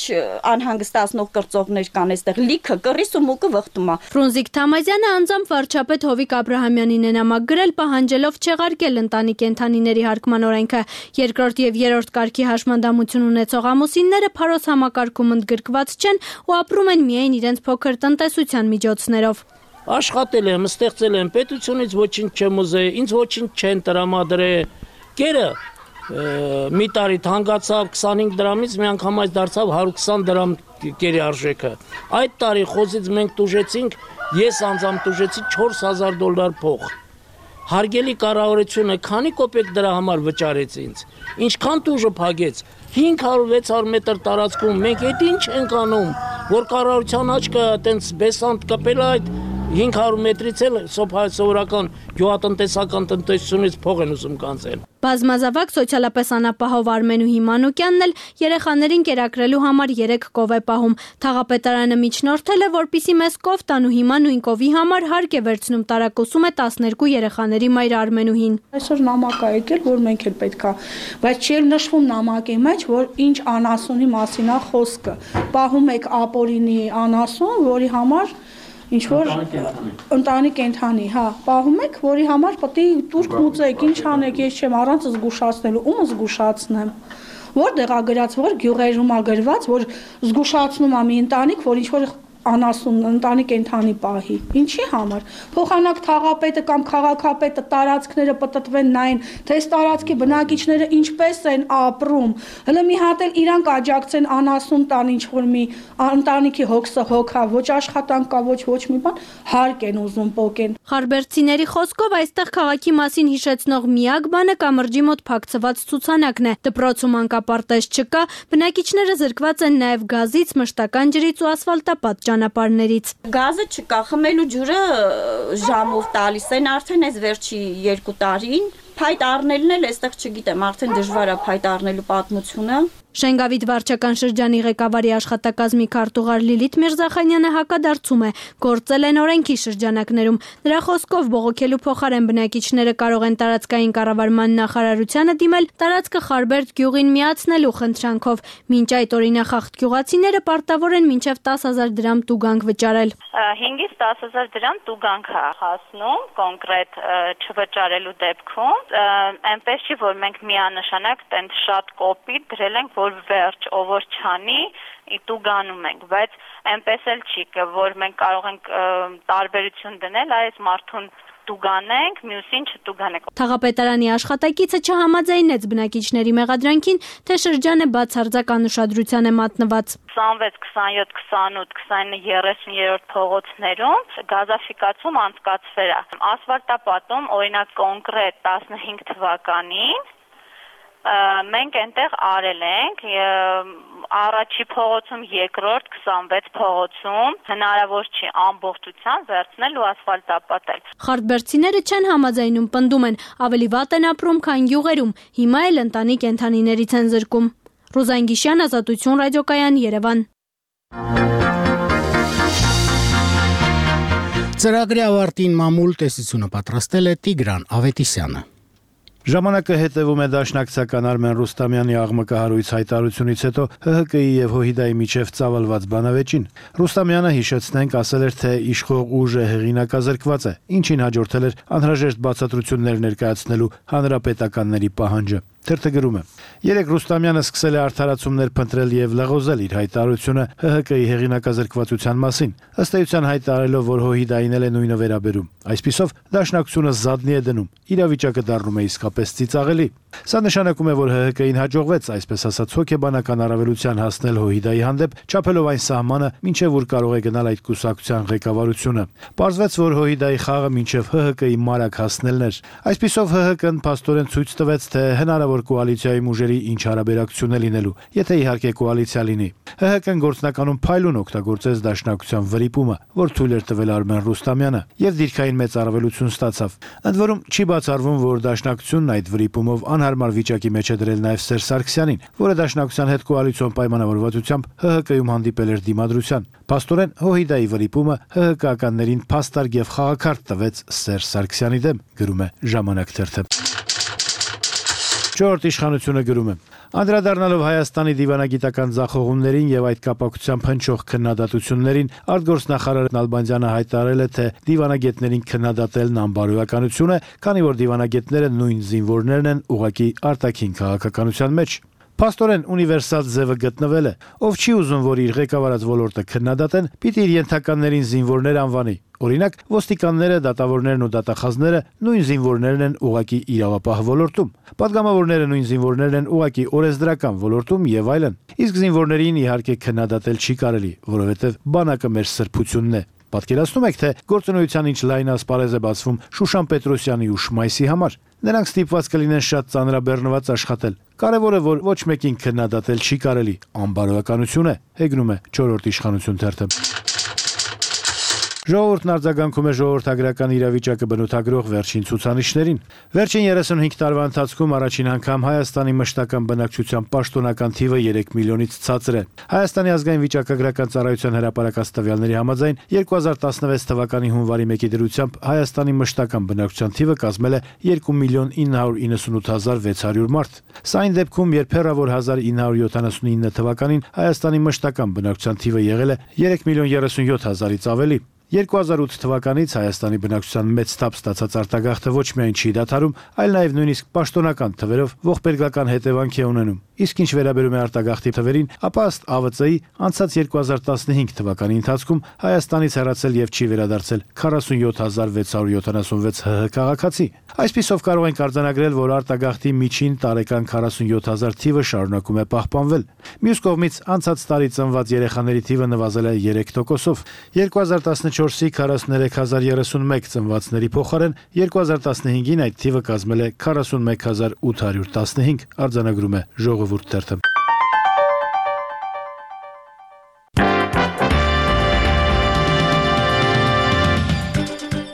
անհանգստացնող կրծողներ կան այստեղ, լիքը կռիս ու մուկը վխտում է։ Ֆրունզիկ Թամազյանը անձամբ վարչապետ Հովիկ Աբրահամյանին է նամակ գրել, պահանջելով չեղարկել ընտանի կենդանիների հարկման օրենքը։ Երկրորդ եւ երրորդ կարգի հաշմանդամություն ունեցող ամուսինները փարոս համակարգում ընդգրկված չեն ու ապրում են միայն իրենց փոքր տնտեսության միջոցներով։ Աշխատել եմ, ստեղծել եմ, պետությունից ոչինչ չեմ ուզել, ինձ ոչինչ չեն տրամադրել։ Կերը մի տարի թանկացավ քսանհինգ դրամից, մի անգամ այս դարձավ հարյուր քսան դրամ կերի արժեքը։ Այդ տարի խոզից մենք տուժեցինք, ես անձամբ տուժեցի չորս հազար դոլար փող։ Հարգելի կառավարությունը քանի կոպեկ դրա համար վճարեց ինձ։ Ինչքան տուժը փակեց։ հինգ հարյուր վեց հարյուր մետր տարածքում մենք այդ ինչ ենք անում, որ կառավարության աչքը այտենց բեսանտ կպել այդ հինգ հարյուր մետրից էլ սովորական գյուղատնտեսական տնտեսությունից փող են ուզում կանցել։ Բազմազավակ սոցիալապես անապահով Արմենուհի Մանուկյանն էլ երեխաներին կերակրելու համար երեք կով է պահում։ Թաղապետարանը միջնորդել է, որպիսի մեծ կով տան ու հիմա նույն կովի համար հարկ է վերցնում տարակուսում է տասներկու երեխաների մայր Արմենուհին։ Այսօր նամակ ա եկել, որ մենք էլ պետք է, բայց չի նշվում նամակի մեջ, որ ինչ անասունի մասին է խոսքը։ Պահում եք ապօրինի անասուն, որի համար ինչ որ ընտանի կենթանի, հա, պահում եք, որի համար պետք է տուրք մուծեք, ինչ անեք, ես չեմ առանց զգուշացնելու, ում զգուշացնեմ։ Որտեղ ա գրած, որ գյուղերում ա գրված, որ զգուշացնում ա մի ընտանիք, որ ինչ որ անասուն ընտանի կենթանի պահի։ Ինչի համար։ Փոխանակ թաղապետը կամ քաղաքապետը տարածքները պտտվեն նային, թե այս տարածքի բնակիչները ինչպես են ապրում։ Հələ մի հատ էլ իրանք աջակցեն անասուն տան ինչ որ մի ընտանիքի հոգսը հոգա, ոչ աշխատանք կա, ոչ ոչ մի բան, հարկ են ուզում պոկեն։ Խարբերցիների խոսքով այստեղ քաղաքի մասին հիշեցնող միակ բանը կամրջի մոտ փակցված ցուցանակն է։ Դպրոցում անկապարտեզ չկա, բնակիչները զրկված են նաև գազից, մշտական ջրից ու ասֆալտապատ ճանապարհներից։ Գազը չկա, խմելու ջուրը ժամով տալիս են արդեն այս վերջի երկու տարին։ Փայտ առնելն էլ այստեղ չգիտեմ, արդեն դժվար է փայտ առնելու պատմությունը։ Շենգավիթ վարչական շրջանի ղեկավարի աշխատակազմի քարտուղար Լիլիթ Միրզախանյանը հակադարձում է, գործել են օրենքի շրջանակներում։ Նրա խոսքով բողոքելու փոխարեն բնակիչները կարող են տարածքային կառավարման նախարարությանը դիմել տարածքը Խարբերդ գյուղին միացնելու խնդրանքով։ Մինչ այդ օրինախախտ գյուղացիները պարտավոր են մինչև տասը հազար դրամ տուգանք վճարել։ հինգից տասը հազար դրամ տուգանք է հասնում կոնկրետ չվճարելու դեպքում։ Այնպես չի, որ մենք միանշանակ տենց շատ կոպիտ դրել ենք, որ վերջ ով որ չանի տուգանում ենք, բայց այնպես էլ չի, որ մենք կարող ենք տարբերություն դնել այս մարդուն տուգանենք, մյուսին չտուգանենք։ Թաղապետարանի աշխատակիցը չհամաձայնեց բնակիչների մեղադրանքին, թե շրջանը բացարձակ անուշադրության է մատնված։ քսանվեց, քսանյոթ, քսանութ, քսանինը, երեսուն-երրորդ փողոցներում գազաֆիկացում անցկացվել է։ Ասֆալտապատում օրինակ կոնկրետ տասնհինգ թվականին մենք այնտեղ արել ենք առաջի փողոցում, երկրորդ քսանվեց փողոցում հնարավոր չի ամբողջությամբ վերցնել ու ասֆալտապատել։ Խարդբերցիները չեն համաձայնում, պնդում են, ավելի վատ են ապրում, քան գյուղերում, հիմա էլ ընտանի կենդանիներից են զրկում։ Ռոզան Գիշյան, Ազատություն ռադիոկայան, Երևան։ Ծրագրի ավարտին մամուլ տեսությունը պատրաստել է Տիգրան Ավետիսյանը։ Ժամանակը հետևում է դաշնակցական Արմեն Ռուստամյանի աղմկահարույց հայտարարությունից հետո Հ Հ Կ-ի եւ Հոհիդայի միջև ծավալված բանավեճին։ Ռուստամյանը, հիշեցնենք, ասել էր, թե իշխող ուժը հեղինակազրկված է, ինչին հաջորդել էր անհրաժեշտ բացատրություններ ներկայացնելու հանրապետականների պահանջը։ Թերթը գրում է. Երեք Ռուստամյանը սկսել է արդարացումներ փնտրել եւ լղոզել իր հայտարարությունը Հ Հ Կ-ի հեղինակազրկվածության մասին, ըստ էության հայտարարելով, որ Հոհիդային էլ է նույնը վերաբերում։ Այսպիսով դաշնակցությունը զադնի է դնում, իրավիճակը դառնում է իսկապես ծիծաղելի։ Սա նշանակում է, որ Հ Հ Կ-ին հաջողվեց, այսպես ասած, հոգեբանական առավելության հասնել Հոհիդայի հանդեպ, չափելով այն սահմանը, մինչև որ կարող է գնալ այդ կուսակցության ղեկավարությունը։ Պարզվեց, որ Հոհիդայի խաղը մինչև Հ Հ Կ-ի մարակ հասնելն էր։ Այսպիսով Հ Հ Կ-ն փաստորեն ցույց տվեց, թե հնարավոր կոալիցիայի ուժերի ինչ հարաբերակցություն է լինելու, եթե իհարկե կոալիցիա լինի։ Հ Հ Կ-ն գործնականում փայլուն օգտագործեց դաշնակցության վրիպումը, որ թույլ էր տվել Արմեն Ռուստամյանը, եւ դիրքային մեծ առավելություն ստացավ։ Ընդ որում չի բացառվում, որ դաշնակցությունն այդ վրիպումով անհարմար վիճակի մեջ է դրել նաեւ Սերժ Սարգսյանին, որը դաշնակցության հետ կոալիցիոն պայմանավորվածությամբ Հ Հ Կ-ում հանդիպել էր դիմադրության։ Փաստորեն Հոհիդայի վրիպումը Հ Հ Կ-ականներին փաստարկ եւ խաղաքարտ տվեց Սերժ Սարգսյանի դեմ, գրում է Ժամանակ թերթը։ Չորրորդ իշխանությունը գրում է. Անդրադառնալով Հայաստանի դիվանագիտական ձախողումներին եւ այդ կապակցությամբ հնչող քննադատություններին, արտգործնախարար Նալբանդյանը հայտարարել է, թե դիվանագետներին քննադատելն անբարոյականություն է, քանի որ դիվանագետները նույն զինվորներն են ուղղակի արտաքին քաղաքականության մեջ։ Փաստորեն ունիվերսալ ձևը գտնվել է, ով չի ուզում, որ իր ղեկավարած ոլորտը քննադատեն, պիտի իր ենթականներին զինվորներ անվանի։ Օրինակ, ոստիկանները, դատավորներն ու դատախազները նույն զինվորներն են ուղղակի իրավապահ ոլորտում, պատգամավորները նույն զինվորներն են ուղղակի օրենսդրական ոլորտում եւ այլն։ Իսկ զինվորներին իհարկե քննադատել չի կարելի, որովհետեւ բանակը մեր սրբությունն է։ Պատկերացնում եք, թե գործունեության ինչ լայն ասպարեզ է բացվում Շուշան Պետրոսյանի ու Շմայսի համար։ Նրանք ստիպված կլինեն շատ ծանրաբեռնված աշխատել։ Կարևորը, որ ոչ մեկին քննադատել չի կարելի, անբարոյականություն է, հեգնում է չորրորդ իշխանություն թերթը։ Ժողովուրդն արձագանքում է ժողովրդագրական իրավիճակը բնութագրող վերջին ցուցանիշներին։ Վերջին երեսունհինգ տարվա ընթացքում առաջին անգամ Հայաստանի մշտական բնակչության պաշտոնական թիվը երեք միլիոնից ցածր է։ Հայաստանի ազգային վիճակագրական ծառայության հրապարակած տվյալների համաձայն երկու հազար տասնվեց թվականի հունվարի մեկի դրությամբ Հայաստանի մշտական բնակչության թիվը կազմել է երկու միլիոն ինը հարյուր իննսունութ հազար վեց հարյուր մարդ։ Սա այն դեպքում, երբ հեռավոր հազար ինը հարյուր յոթանասունինը թվականին Հայաստանի մշտական բնակչության թիվը եղել է երեք միլիոն երեսունյոթ հազարից ավելի։ երկու հազար ութ թվականից Հայաստանի բնակչության մեծ թափ ստացած արտագաղթը ոչ միայն չի դադարում, այլ նաև նույնիսկ պաշտոնական թվերով ողբերգական հետևանք է ունենում։ Իսկ ինչ վերաբերում է արտագաղթի թվերին, ապա ըստ Ա Վծ Ի անցած երկու հազար տասնհինգ թվականի ընթացքում Հայաստանից հեռացել եւ չի վերադարձել քառասունյոթ հազար վեց հարյուր յոթանասունվեց ՀՀ քաղաքացի։ Այսպիսով կարող ենք արձանագրել, որ արտագաղթի միջին տարեկան քառասունյոթ հազար թիվը շարունակում է պահպանվել։ Մյուս կողմից անցած տարի ծնված երեխաների թիվը նվազել է երեք տոկոսով։ երկու հազար տասնչորսի քառասուներեք հազար երեսունմեկ ծնվածների փոխարեն երկու հազար տասնհինգին այդ թիվը կազմել է քառասունմեկ հազար ութ հարյուր տասնհինգ, արձանագրում է Ժողովուրդ թերթը։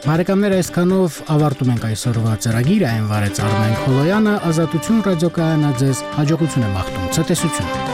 Բարեկամներ, այսքանով ավարտում ենք այսօրվա ծրագիրը, այն վարեց Արմեն Խոլոյանը, Ազատություն ռադիոկայանը ձեզ հաջողություն է մաղթում, ցտեսություն։